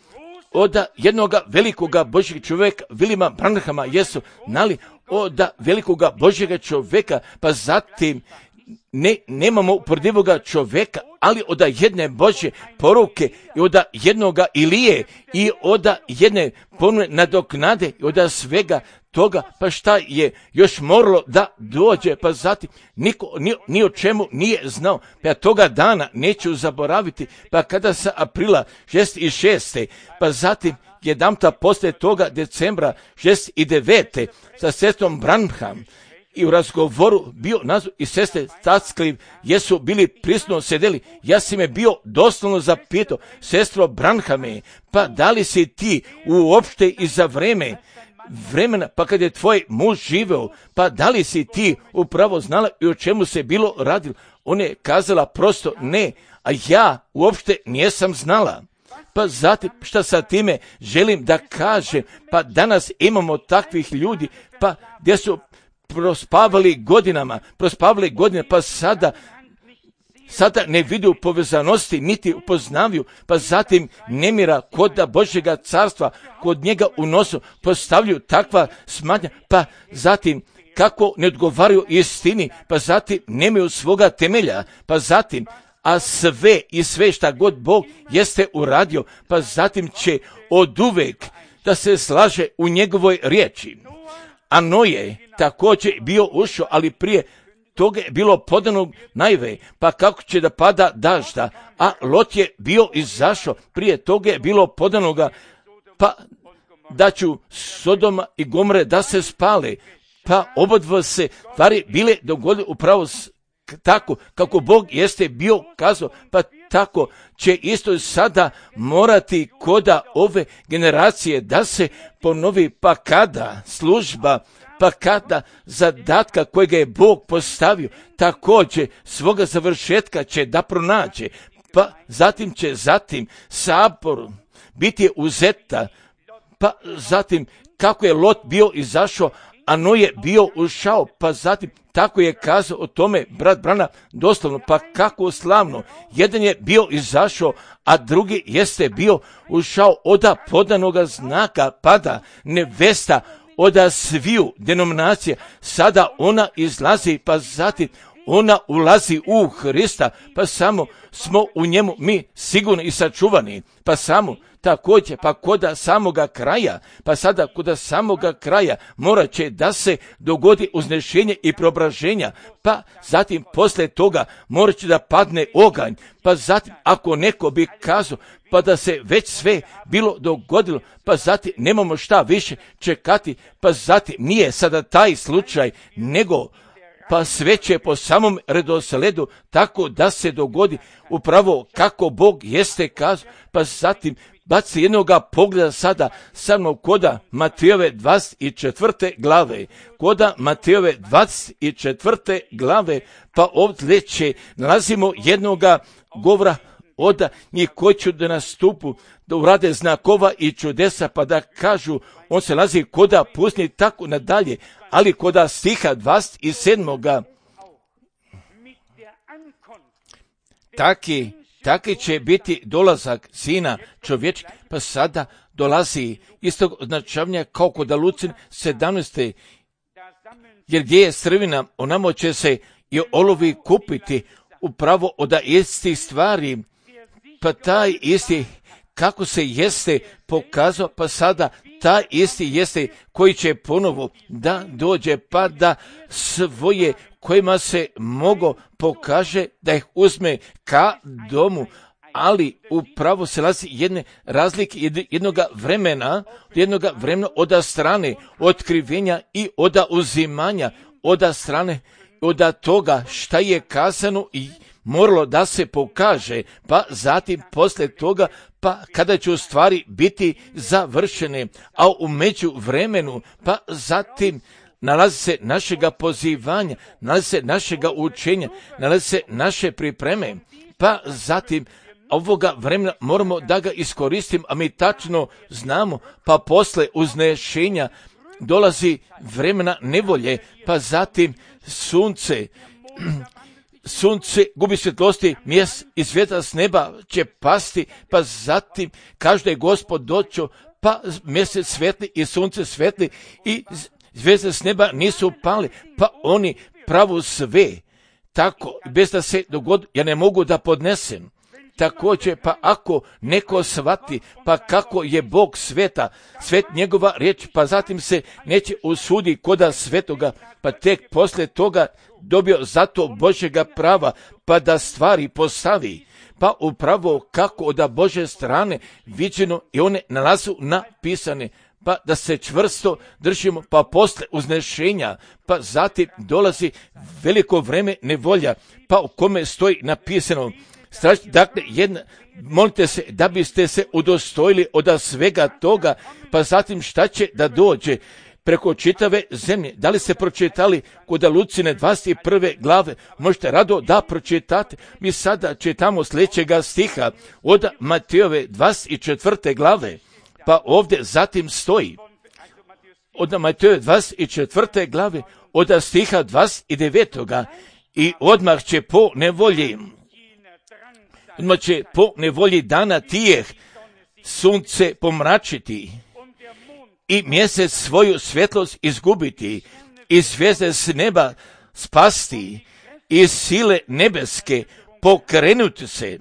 od jednoga velikoga Božjeg čovjeka, Williama Branhama, jesu znali od velikoga Božjega čovjeka, pa zatim ne, nemamo uporedivoga čovjeka, ali od jedne Božje poruke i od jednoga Ilije i od jedne ponovne nadoknade i od svega toga, pa šta je još moralo da dođe, pa zatim niko ni, ni o čemu nije znao, pa ja toga dana neću zaboraviti, pa kada sa aprila šezdeset šeste, pa zatim jedanputa poslije toga decembra šezdeset devete sa sestrom Branham i u razgovoru bio nazv i sestre Tatskliv jesu bili prisutno sedeli. Ja sam je bio doslovno zapitao, sestro Branhame, pa da li si ti uopšte i za vreme vremena, pa kad je tvoj muž živeo, pa da li si ti upravo znala i o čemu se bilo radilo? Ona je kazala prosto ne, a ja uopšte nisam znala. Pa zatim šta sa time želim da kažem, pa danas imamo takvih ljudi, pa gdje su prospavali godinama, prospavali godine, pa sada sada ne vidu povezanosti, niti upoznavaju, pa zatim nemira kod Božjega carstva, kod njega u nosu postavljaju takva smatnja, pa zatim kako ne odgovaraju istini, pa zatim nemaju svoga temelja, pa zatim a sve i sve šta god Bog jeste uradio, pa zatim će oduvek da se slaže u njegovoj riječi. A Noje također bio ušao, ali prije toga je bilo podanog najve, pa kako će da pada dažda, a Lot je bio izašao, prije toga je bilo podanoga, pa da ću Sodoma i Gomore da se spale, pa obodvo se stvari bile dogodile upravo tako kako Bog jeste bio kazao, pa tako će isto sada morati koda ove generacije da se ponovi, pa kada služba, pa kada zadatka kojega je Bog postavio, također svoga završetka će da pronađe, pa zatim će zatim sabor biti uzeta, pa zatim kako je Lot bio izašao, a Noje bio ušao, pa zatim tako je kazao o tome brat Branham doslovno, pa kako slavno. Jedan je bio izašao, a drugi jeste bio ušao od podanoga znaka, pada nevesta od sviju denominacija. Sada ona izlazi, pa zatim ona ulazi u Hrista, pa samo smo u njemu mi sigurno i sačuvani, pa samo također, pa koda samoga kraja, pa sada koda samoga kraja morat će da se dogodi uznešenje i preobraženja, pa zatim poslije toga morat će da padne oganj, pa zatim ako neko bi kazao, pa da se već sve bilo dogodilo, pa zatim nemamo šta više čekati, pa zatim nije sada taj slučaj, nego pa sve će po samom redosledu tako da se dogodi upravo kako Bog jeste kazao, pa zatim baci jednoga pogleda sada samo koda Matejove dvadeset četvrte glave, koda Matejove dvadeset četvrte glave, pa ovdje će nalazimo jednoga govora od njih koji će da nastupu, da urade znakova i čudesa, pa da kažu, on se nalazi koda pusni tako nadalje, ali koda stiha dvadeset sedmoga taki, taki će biti dolazak Sina čovječki, pa sada dolazi istog označavanja kao kod Lucin sedamnaeste, jer gdje je strvina, onamo će se i olovi kupiti upravo od istih stvari, pa taj isti kako se jeste pokazao, pa sada taj isti jeste koji će ponovo da dođe, pa da svoje kojima se mogo pokaže da ih uzme ka domu, ali upravo se lazi jedne razlike jednog vremena, jednog vremena od strane otkrivenja i od uzimanja, od strane od toga šta je kazano i moralo da se pokaže, pa zatim poslije toga, pa kada će u stvari biti završene, a u međuvremenu, pa zatim nalazi se našega pozivanja, nalazi se našega učenja, nalazi se naše pripreme, pa zatim ovoga vremena moramo da ga iskoristim, a mi tačno znamo, pa posle uznešenja dolazi vremena nevolje, pa zatim sunce, sunce gubi svjetlosti, mjes i svjetla s neba će pasti, pa zatim kaže da je Gospod doćo, pa mjesec svetli i sunce svetli i zvijezde s neba nisu pali, pa oni pravu sve, tako, bez da se dogodi, ja ne mogu da podnesem. Također, pa ako neko shvati, pa kako je Bog sveta, svet njegova riječ, pa zatim se neće usudi koda svetoga, pa tek poslije toga dobio zato Božjega prava, pa da stvari postavi, pa upravo kako od Božje strane viđeno i one nalazu napisane, pa da se čvrsto držimo, pa posle uznešenja, pa zatim dolazi veliko vreme nevolja, pa u kome stoji napisano, strašno, dakle, jedna, molite se da biste se udostojili od svega toga, pa zatim šta će da dođe preko čitave zemlje. Da li ste pročitali kod Lucine dvadeset prve glave? Možete rado da pročitate. Mi sada čitamo sljedećega stiha od Matejove dvadeset četvrte glave, pa ovdje zatim stoji od Matejove dvadeset četvrte glave od stiha dvadeset devetog i odmah će po nevolji Odmah će po nevolji dana tijeh sunce pomračiti i mjesec svoju svjetlost izgubiti i zvijezde s neba spasti i sile nebeske pokrenuti se.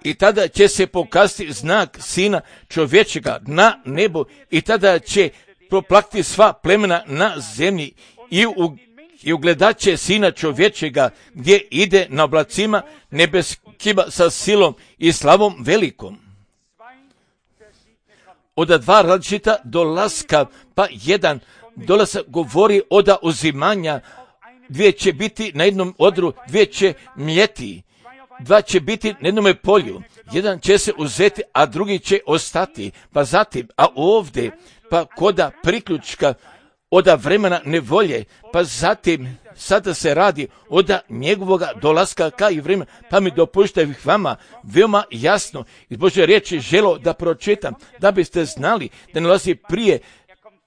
I tada će se pokazati znak Sina čovječega na nebu i tada će proplakati sva plemena na zemlji i u I ugledat će Sina čovječega gdje ide na oblacima nebeskima sa silom i slavom velikom. Od dva različita dolaska, pa jedan dolazak govori od uzimanja, dvije će biti na jednom odru, dvije će mljeti, dva će biti na jednom polju, jedan će se uzeti, a drugi će ostati. Pa zatim, a ovdje, pa koda priključka, od vremena nevolje, pa zatim sada se radi od njegovoga dolaska ka i vremena, pa mi dopuštaj vama veoma jasno iz Božje riječi želo da pročitam, da biste znali da ne dolazi prije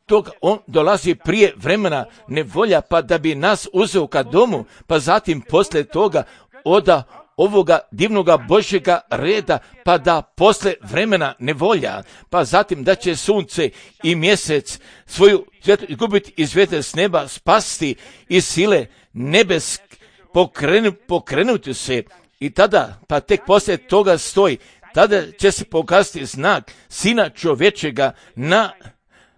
toga, on dolazi prije vremena nevolja, pa da bi nas uzeo ka domu, pa zatim poslije toga od ovoga divnoga Božjega reda, pa da posle vremena nevolja, pa zatim da će sunce i mjesec svoju svjetlost izgubiti i zvijezde s neba spasti i sile nebesk pokrenu, pokrenuti se i tada, pa tek poslije toga stoji, tada će se pokazati znak Sina čovječega na,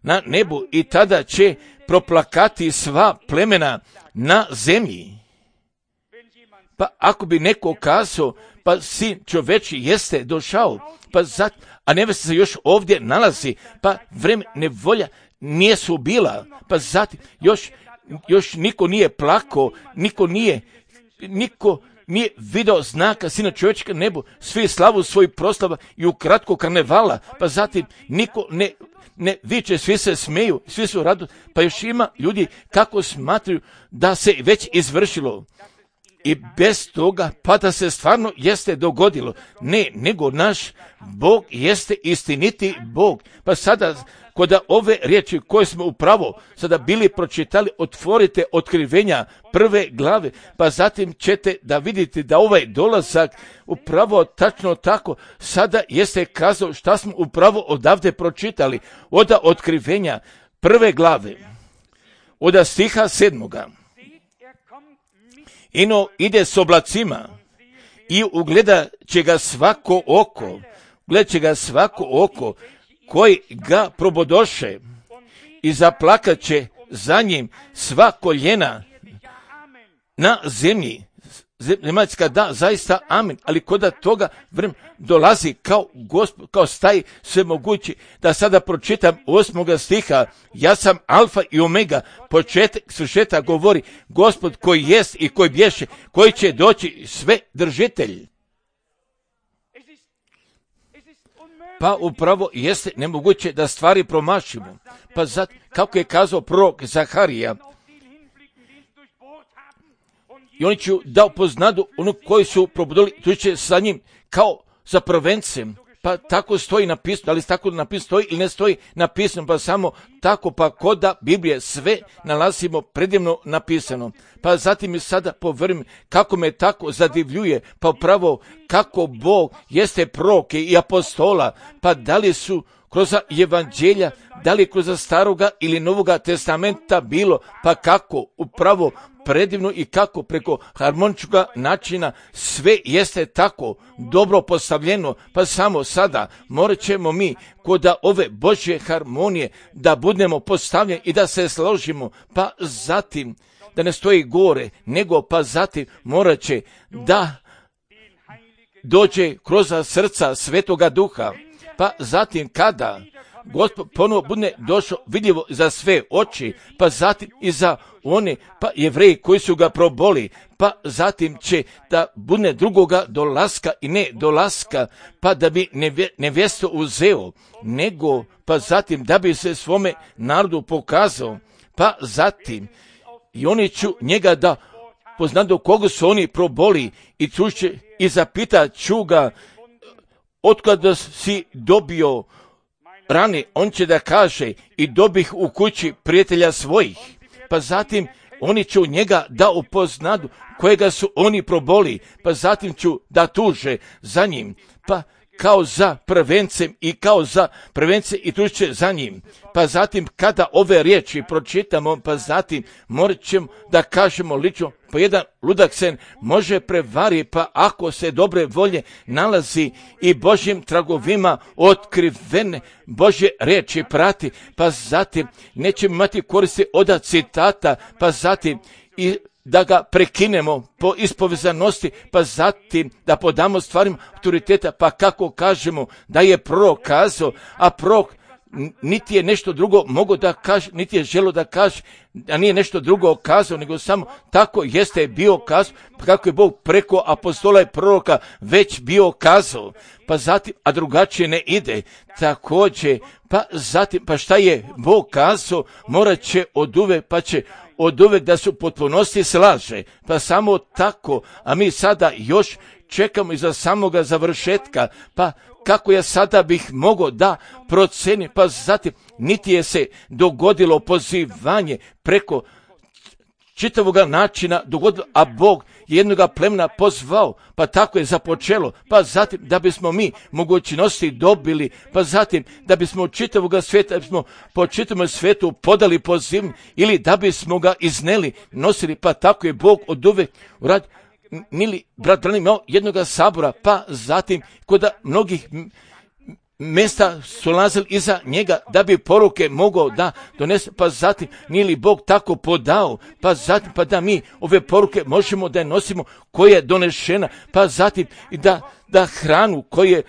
na nebu i tada će proplakati sva plemena na zemlji. Pa ako bi neko kazao, pa Sin čovječi jeste došao, pa zat, a nevesta se još ovdje nalazi, pa vreme nevolja nije su bila, pa zatim još, još niko nije plakao, niko nije, niko nije video znaka Sina čovječka nebu, svi slavu svoj proslava i u kratko karnevala, pa zatim niko ne, ne viče, svi se smeju, svi su rado, pa još ima ljudi kako smatraju da se već izvršilo. I bez toga, pa da se stvarno jeste dogodilo. Ne, nego naš Bog jeste istiniti Bog. Pa sada, kod ove riječi koje smo upravo sada bili pročitali, otvorite otkrivenja prve glave, pa zatim ćete da vidite da ovaj dolazak upravo tačno tako sada jeste kazao šta smo upravo odavde pročitali. Od otkrivenja prve glave, od stiha sedmoga. Ino ide s oblacima i ugleda će ga svako oko, gledat će ga svako oko koji ga probodoše i zaplakat će za njim sva koljena na zemlji. zemaljska, da, zaista, amen, ali kod toga vrem dolazi kao Gospod, kao staji svemogući, da sada pročitam osmoga stiha, ja sam alfa i omega, početak svršetka govori Gospod koji jest i koji bješe, koji će doći sve držitelj. Pa upravo jeste nemoguće da stvari promašimo. Pa zato, kako je kazao prorok Zaharija, i oni će da upoznadu ono koji su probudili, tu će sa njim kao za prvencem. Pa tako stoji napisano, ali tako napisano stoji ili ne stoji napisano, pa samo tako, pa kod da Biblije sve nalazimo predivno napisano. Pa zatim i sada povrme kako me tako zadivljuje, pa upravo kako Bog jeste proroke i apostola, pa da li su kroz evanđelja, da li kroz staroga ili novoga testamenta bilo, pa kako upravo predivno i kako preko harmoničnog načina sve jeste tako dobro postavljeno, pa samo sada morat ćemo mi kod ove Božje harmonije da budemo postavljeni i da se složimo, pa zatim da ne stoji gore, nego pa zatim morat će da dođe kroz srca Svetoga Duha, pa zatim kada Gospod ponovo bude došao vidljivo za sve oči, pa zatim i za one, pa Jevreji koji su ga proboli, pa zatim će da bude drugoga dolaska i ne dolaska, pa da bi nevjesto uzeo, nego pa zatim da bi se svome narodu pokazao, pa zatim i oni ću njega da poznadu koga su oni proboli i čuće i zapitat ću ga otkada si dobio rane, on će da kaže i dobih u kući prijatelja svojih. Pa zatim oni će njega da upoznadu kojega su oni proboli, pa zatim ću da tuže za njim, pa kao za prvencem i kao za prvence i tuže za njim. Pa zatim kada ove riječi pročitamo, pa zatim morat ćemo da kažemo lično, pa jedan ludak se može prevari, pa ako se dobre volje nalazi i Božjim tragovima otkrivene Božje riječi prati, pa zatim nećemo imati koristi od citata, pa zatim i da ga prekinemo po ispovezanosti, pa zatim da podamo stvarima autoriteta, pa kako kažemo da je prorok kazao, a prorok niti je nešto drugo mogo da kaže, niti je želo da kaže, a nije nešto drugo kazao, nego samo tako jeste bio kazao, pa kako je Bog preko apostola i proroka već bio kazao, pa zatim, a drugačije ne ide, također, pa zatim, pa šta je Bog kazao, morat će od uvek, pa će od uvek da su potpunosti slaže, pa samo tako, a mi sada još čekamo iza samoga završetka, pa kako ja sada bih mogao da procenim, pa zatim niti je se dogodilo pozivanje preko čitavoga načina dogodilo, a Bog jednoga plemena pozvao, pa tako je započelo, pa zatim da bismo mi mogućnosti dobili, pa zatim da bismo od čitavoga svijeta, da bismo po čitavom svijetu podali pozivnje ili da bismo ga izneli, nosili, pa tako je Bog od uvek uradio. Nili brat Branham imao jednoga sabora, pa zatim kod mnogih mjesta su lazili iza njega da bi poruke mogao da donese, pa zatim nije li Bog tako podao, pa zatim pa da mi ove poruke možemo da je nosimo koja je donešena, pa zatim i da, da hranu koja je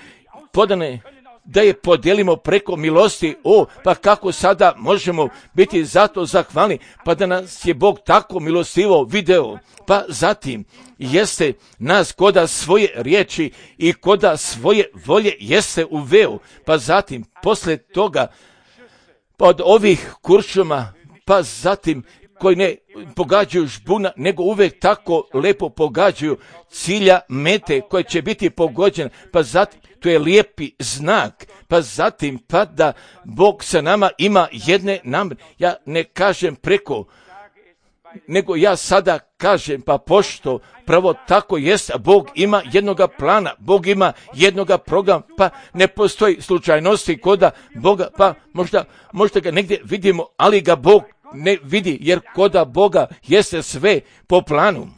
podane da je podijelimo preko milosti, o, pa kako sada možemo biti zato zahvalni, pa da nas je Bog tako milostivo video, pa zatim jeste nas koda svoje riječi i koda svoje volje jeste uveo, pa zatim posle toga, pa od ovih kuršuma, pa zatim koji ne pogađaju žbuna, nego uvek tako lepo pogađaju cilja mete koje će biti pogođene, pa zatim to je lijepi znak, pa zatim pa da Bog sa nama ima jedne namjere. Ja ne kažem preko, nego ja sada kažem, pa pošto pravo tako jest, Bog ima jednoga plana, Bog ima jednoga programa, pa ne postoji slučajnosti koda Boga, pa možda, možda ga negdje vidimo, ali ga Bog ne vidi, jer koda Boga jeste sve po planu.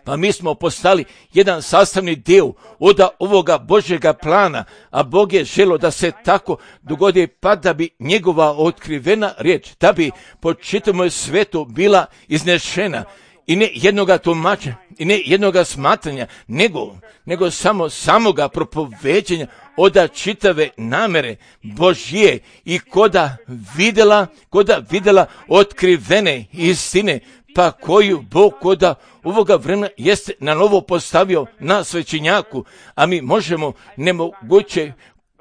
Pa mi smo postali jedan sastavni dio od ovoga Božjega plana, a Bog je želio da se tako dogodi, pa da bi njegova otkrivena riječ, da bi po čitavom svetu bila iznešena i ne jednoga tumačenja, i ne jednoga smatranja, nego, nego samo samoga propoveđenja oda čitave namere Božje i koda vidjela, koda vidjela otkrivene istine, pa koju Bog koda ovoga vremena jeste na novo postavio na svećenjaku, a mi možemo nemoguće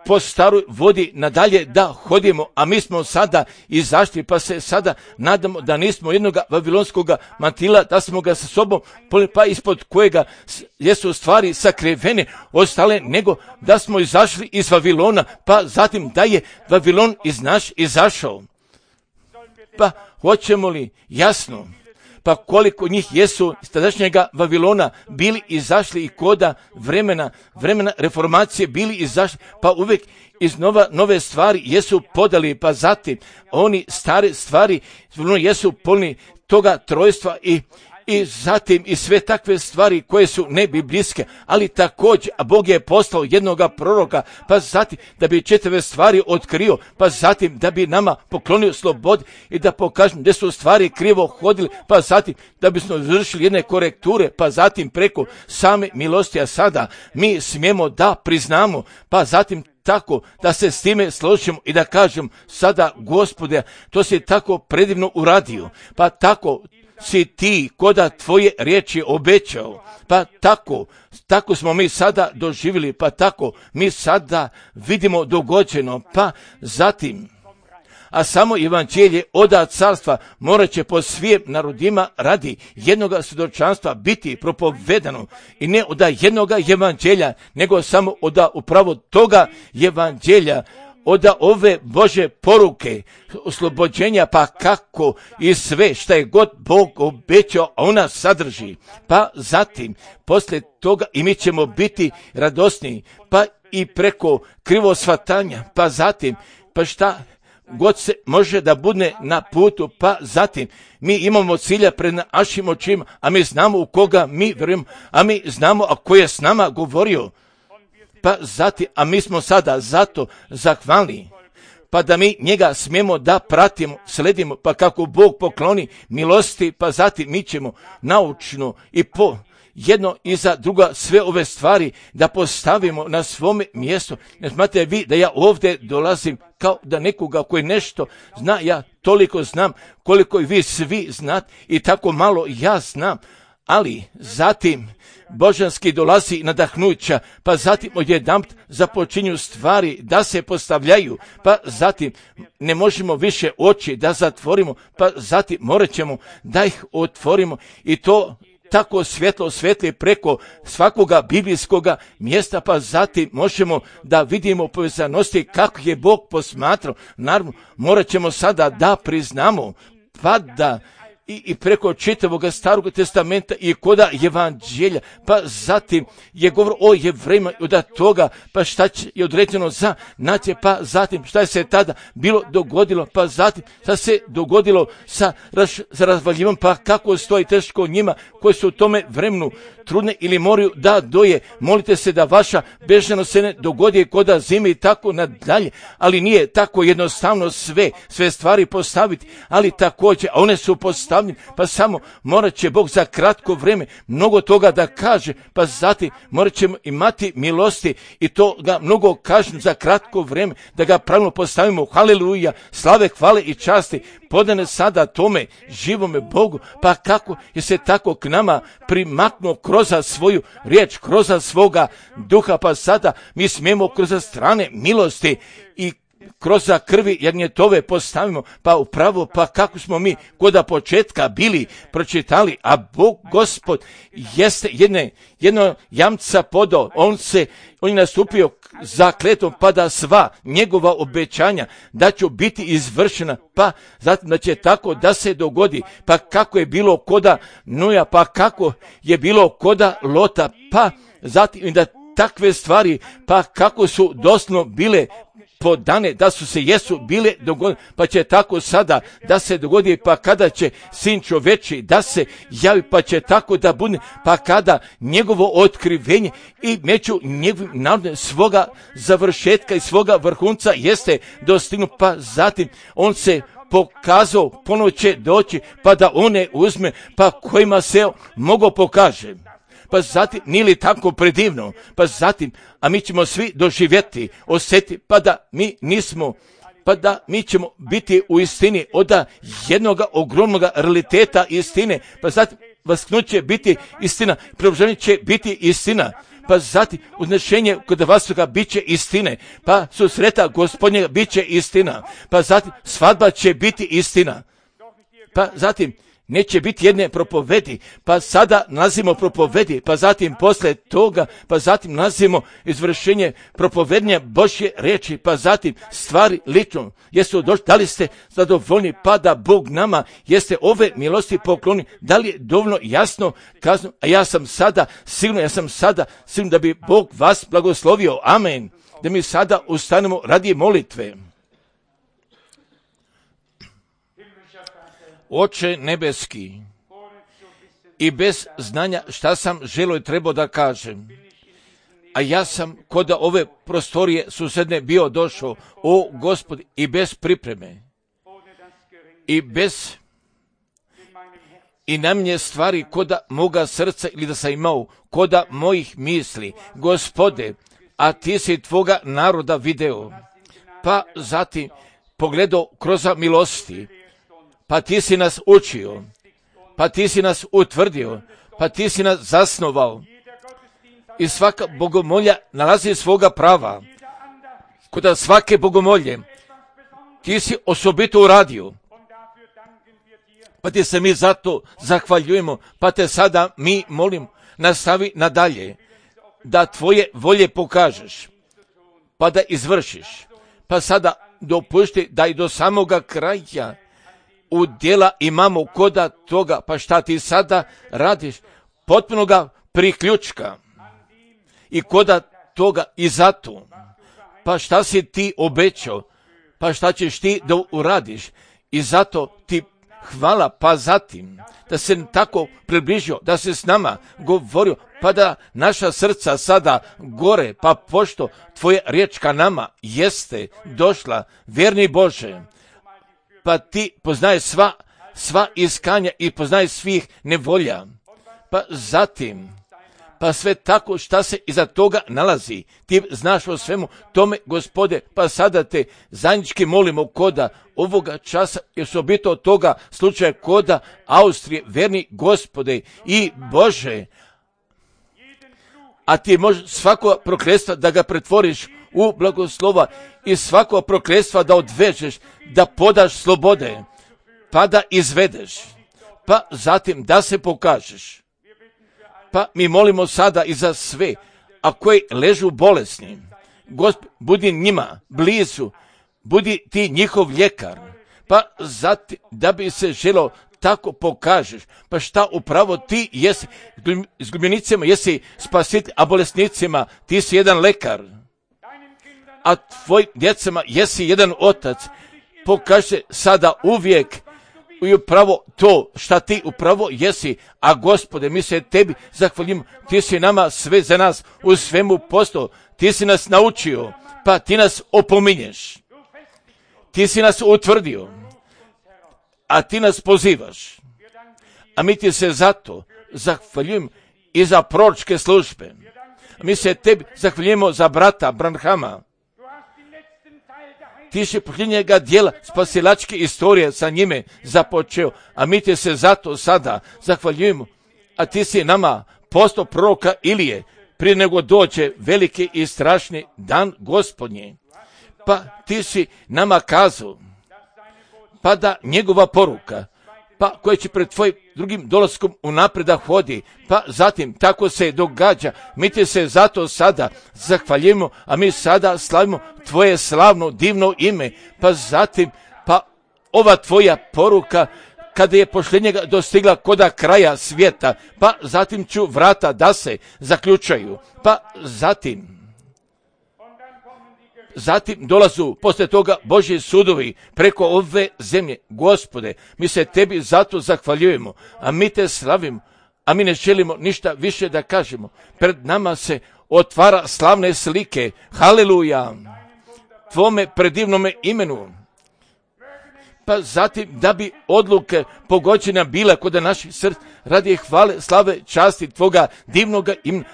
po staroj vodi nadalje da hodimo, a mi smo sada izašli, pa se sada nadamo da nismo jednog vavilonskog mantila, da smo ga sa sobom, pa ispod kojega jesu stvari sakrivene ostale, nego da smo izašli iz Vavilona, pa zatim da je Vavilon iz naš izašao. Pa hoćemo li jasno, pa koliko njih jesu iz tadašnjega Vavilona bili izašli i koda vremena, vremena reformacije bili izašli, pa uvijek iz nova, nove stvari jesu podali, pa zatim oni stare stvari jesu polni toga trojstva i i zatim i sve takve stvari koje su nebiblijske, ali također, a Bog je poslao jednoga proroka, pa zatim da bi četiri stvari otkrio, pa zatim da bi nama poklonio slobod i da pokažem gdje su stvari krivo hodili, pa zatim da bismo izvršili jedne korekture, pa zatim preko same milosti, a sada mi smijemo da priznamo, pa zatim tako da se s time složimo i da kažem sada, Gospode, to si tako predivno uradio, pa tako si ti koda tvoje riječi obećao, pa tako, tako smo mi sada doživjeli, pa tako mi sada vidimo dogođeno, pa zatim, a samo evanđelje oda carstva morat će po svim narodima radi jednoga svjedočanstva biti propovedano i ne oda jednoga evanđelja, nego samo oda upravo toga evanđelja, oda ove Bože poruke, oslobođenja, pa kako i sve što je god Bog obećao, a ona sadrži. Pa zatim, poslije toga i mi ćemo biti radosniji, pa i preko krivo shvatanja, pa zatim, pa šta god se može da bude na putu, pa zatim mi imamo cilja pred našim očima, a mi znamo u koga mi vjerujemo, a mi znamo a ko je s nama govorio. Pa zatim, a mi smo sada zato zahvalni, pa da mi njega smijemo da pratimo, sledimo, pa kako Bog pokloni milosti, pa zatim mi ćemo naučno i po jedno i za druga sve ove stvari da postavimo na svome mjestu. Ne smatrate vi da ja ovdje dolazim kao da nekoga koji nešto zna, ja toliko znam koliko i vi svi znate i tako malo ja znam, ali zatim božanski dolazi nadahnuća, pa zatim odjedanput započinju stvari da se postavljaju, pa zatim ne možemo više oči da zatvorimo, pa zatim morat ćemo da ih otvorimo i to tako svjetlo svetli preko svakoga biblijskoga mjesta, pa zatim možemo da vidimo povezanosti kako je Bog posmatrao. Naravno, morat ćemo sada da priznamo, pa da I, i preko čitavog starog testamenta i koda evanđelja, pa zatim je govor o Jevrejima i od toga, pa šta će je određeno za nacije, pa zatim šta je se tada bilo dogodilo, pa zatim šta se dogodilo sa, raz, sa razvaljivom, pa kako stoji teško njima koji su u tome vremenu trudne ili moraju da doje. Molite se da vaša bežanost se ne dogodi koda zime i tako nadalje, ali nije tako jednostavno sve, sve stvari postaviti, ali također, a one su postavljene, pa samo morat će Bog za kratko vrijeme mnogo toga da kaže, pa zatim morat ćemo imati milosti i to ga mnogo kažem za kratko vrijeme, da ga pravilno postavimo. Haleluja, slave, hvale i časti podane sada tome živome Bogu, pa kako je se tako k nama primaknuo kroz svoju riječ, kroz svoga duha, pa sada mi smijemo kroz strane milosti i kroz krvi jagnjetove postavimo, pa upravo, pa kako smo mi koda početka bili pročitali, a Bog Gospod jeste jedne, jedno jamca podao, on se, on je nastupio za kletvom, pa da sva njegova obećanja da će biti izvršena, pa zatim da će tako da se dogodi, pa kako je bilo koda Noja, pa kako je bilo koda Lota, pa zatim da takve stvari, pa kako su doslovno bile podane, da su se jesu bile dogodile, pa će tako sada da se dogodi, pa kada će sin čoveči da se javi, pa će tako da bude, pa kada njegovo otkrivenje i među njegovim narodom svoga završetka i svoga vrhunca jeste dostignu, pa zatim on se pokazao, ponovo će doći, pa da one uzme, pa kojima se mogo pokaže. Pa zatim, nije li tako predivno, pa zatim, a mi ćemo svi doživjeti, osjetiti, pa da mi nismo, pa da mi ćemo biti u istini od jednog ogromnog realiteta istine, pa zatim vasknuće biti istina, preobraženje će biti istina, pa zatim uznešenje kod vasoga bit će istine, pa susreta Gospodnjega bit će istina, pa zatim svadba će biti istina, pa zatim neće biti jedne propovedi, pa sada nalazimo propovedi, pa zatim posle toga, pa zatim nalazimo izvršenje propovednja Božje riječi, pa zatim stvari lično. Jesu došli, da li ste zadovoljni, pa da Bog nama jeste ove milosti pokloni, da li je dovoljno jasno kazno, a ja sam sada, sigurno, ja sam sada, sigurno da bi Bog vas blagoslovio, amen, da mi sada ustanemo radi molitve. Oče nebeski, i bez znanja šta sam želio i trebao da kažem, a ja sam kod ove prostorije susedne bio došao, o Gospodi, i bez pripreme, i bez, i na mnje stvari koda moga srca ili da sam imao, koda mojih misli, Gospode, a ti si tvoga naroda video, pa zatim pogledao kroz milosti, pa ti si nas učio, pa ti si nas utvrdio, pa ti si nas zasnovao. I svaka bogomolja nalazi svoga prava. Kod svake bogomolje ti si osobito uradio. Pa ti se mi zato zahvaljujemo, pa te sada mi molim, nastavi nadalje, da tvoje volje pokažeš, pa da izvršiš. Pa sada dopušti da i do samoga kraja u djela imamo koda toga, pa šta ti sada radiš, potpunoga priključka i koda toga i zato, pa šta si ti obećao, pa šta ćeš ti da uradiš i zato ti hvala, pa zatim da se tako približio, da se s nama govorio, pa da naša srca sada gore, pa pošto tvoja riječ ka nama jeste došla, vjerni Bože, pa ti poznaje sva, sva iskanja i poznaje svih nevolja. Pa zatim, pa sve tako šta se iza toga nalazi, ti znaš o svemu tome, Gospode, pa sada te zajednički molimo koda ovoga časa, jer su obito od toga slučaja koda Austrije, verni Gospode i Bože, a ti možeš svako prokletstvo da ga pretvoriš u blagoslova i svako prokletstvo da odvežeš, da podaš slobode, pa da izvedeš, pa zatim da se pokažeš. Pa mi molimo sada i za sve, a koji ležu bolesni, Gospod, budi njima blizu, budi ti njihov ljekar, pa zatim da bi se želo tako pokažeš, pa šta upravo ti jesi, s gljubenicima jesi spasitelj, a bolesnicima ti si jedan lekar, a tvoj djecama jesi jedan otac, pokaže sada uvijek i upravo to šta ti upravo jesi, a Gospode, mi se tebi zahvaljimo, ti si nama sve za nas u svemu postao, ti si nas naučio, pa ti nas opominješ, ti si nas utvrdio, a ti nas pozivaš, a mi ti se zato zahvaljujemo i za proročke službe, mi se tebi zahvaljujemo za brata Branhama, ti si posljednjega dijela spasilačke istorije sa njime započeo, a mi ti se zato sada zahvaljujemo, a ti si nama postao proroka Ilije, prije nego dođe veliki i strašni dan Gospodnji, pa ti si nama kazao, pa da njegova poruka, pa koja će pred tvojim drugim dolaskom unaprijed da hodi, pa zatim tako se događa, mi ti se zato sada zahvaljujemo, a mi sada slavimo tvoje slavno divno ime, pa zatim, pa ova tvoja poruka, kada je posljednjega dostigla koda kraja svijeta, pa zatim ću vrata da se zaključaju, pa zatim, Zatim dolazu posle toga Božji sudovi preko ove zemlje. Gospode, mi se tebi zato zahvaljujemo, a mi te slavimo, a mi ne želimo ništa više da kažemo. Pred nama se otvara slavne slike. Haleluja! Tvome predivnome imenu. pa zatim da bi odluke pogođena bila kod naših srca radi hvale, slave, časti Tvoga divnoga imena,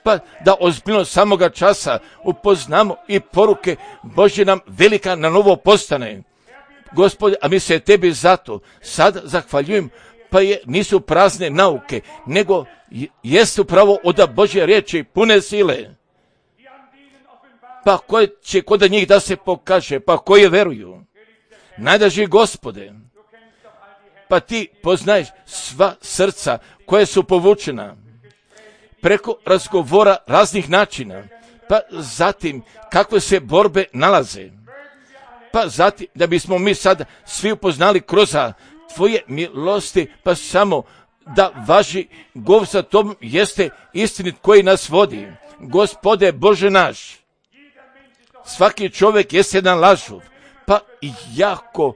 pa da ozbiljno samoga časa upoznamo i poruke Božje nam velika na novo postane. Gospode, a mi se Tebi zato sad zahvaljujem, pa je nisu prazne nauke, nego jeste upravo od Božje riječi pune sile. Pa koje će kod njih da se pokaže, pa koje veruju. Najdraži Gospode, pa Ti poznaješ sva srca koje su povučena preko razgovora raznih načina, pa zatim kakve se borbe nalaze, pa zatim da bismo mi sad svi upoznali kroz Tvoje milosti, pa samo da važi govor sa Tobom jeste istinit koji nas vodi. Gospode Bože naš, svaki čovjek jeste jedan lažov, pa jako,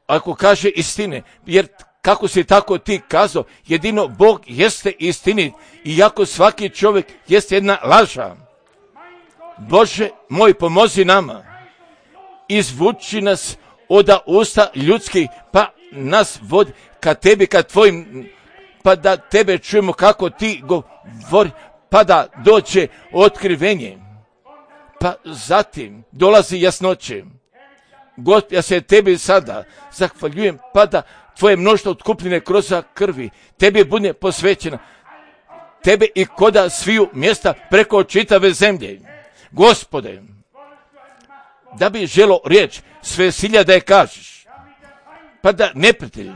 ako kaže istine, jer kako si tako Ti kazao, jedino Bog jeste istinit, iako svaki čovjek jeste jedna laža. Bože moj, pomozi nama, izvuči nas od usta ljudskih, pa nas vodi ka Tebi, ka Tvojim, pa da Tebe čujemo kako Ti govori, pa da dođe otkrivenje, pa zatim dolazi jasnoće. Gospod, ja se Tebi sada zahvaljujem, pa da Tvoje mnoštvo otkupljene kroz krvi Tebi bude posvećena, Tebe i koda sviju mjesta preko čitave zemlje. Gospode, da bi želo riječ sve silja da je kažeš, pa da neprijatelj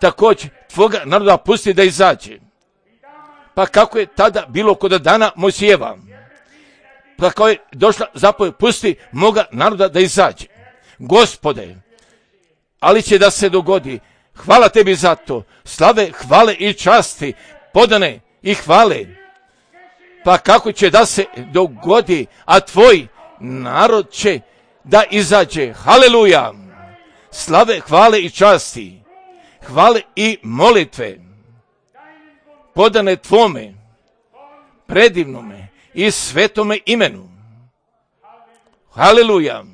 također Tvoga naroda pusti da izađe. Pa kako je tada bilo kod dana Mojsijeva, pa kao je došla zapovjed, pusti moga naroda da izađe. Gospode, ali će da se dogodi. Hvala Tebi za to. Slave, hvale i časti, podane i hvale. Pa kako će da se dogodi, a Tvoj narod će da izađe. Haleluja. Slave, hvale i časti, hvale i molitve, podane Tvome predivnome i svetome imenu. Haleluja.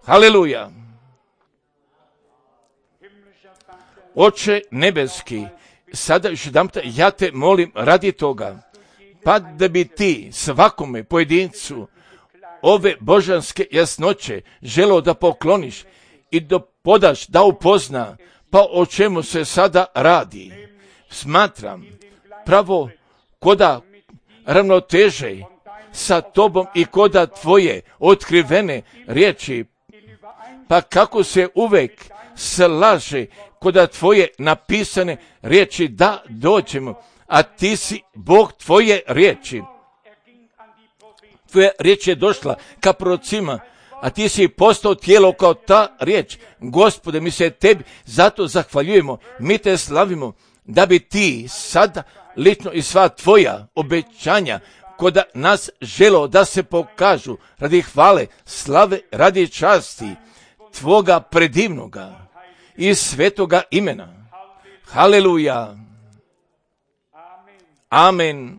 Haleluja. Oče nebeski, sada još jedanput ja Te molim radi toga, pa da bi Ti svakome pojedincu ove božanske jasnoće želeo da pokloniš i da podaš, da upozna, pa o čemu se sada radi. Smatram pravo koda ravnoteže sa Tobom i koda Tvoje otkrivene riječi, pa kako se uvek slaže koda Tvoje napisane riječi da dođemo, a Ti si Bog Tvoje riječi. Tvoja riječ je došla ka prorocima, a Ti si postao tijelo kao ta riječ. Gospode, mi se Tebi zato zahvaljujemo, mi Te slavimo, da bi Ti sada lično i sva Tvoja obećanja koda nas želo da se pokažu radi hvale, slave, radi časti Tvoga predivnoga i svetoga imena. Haleluja. Amen.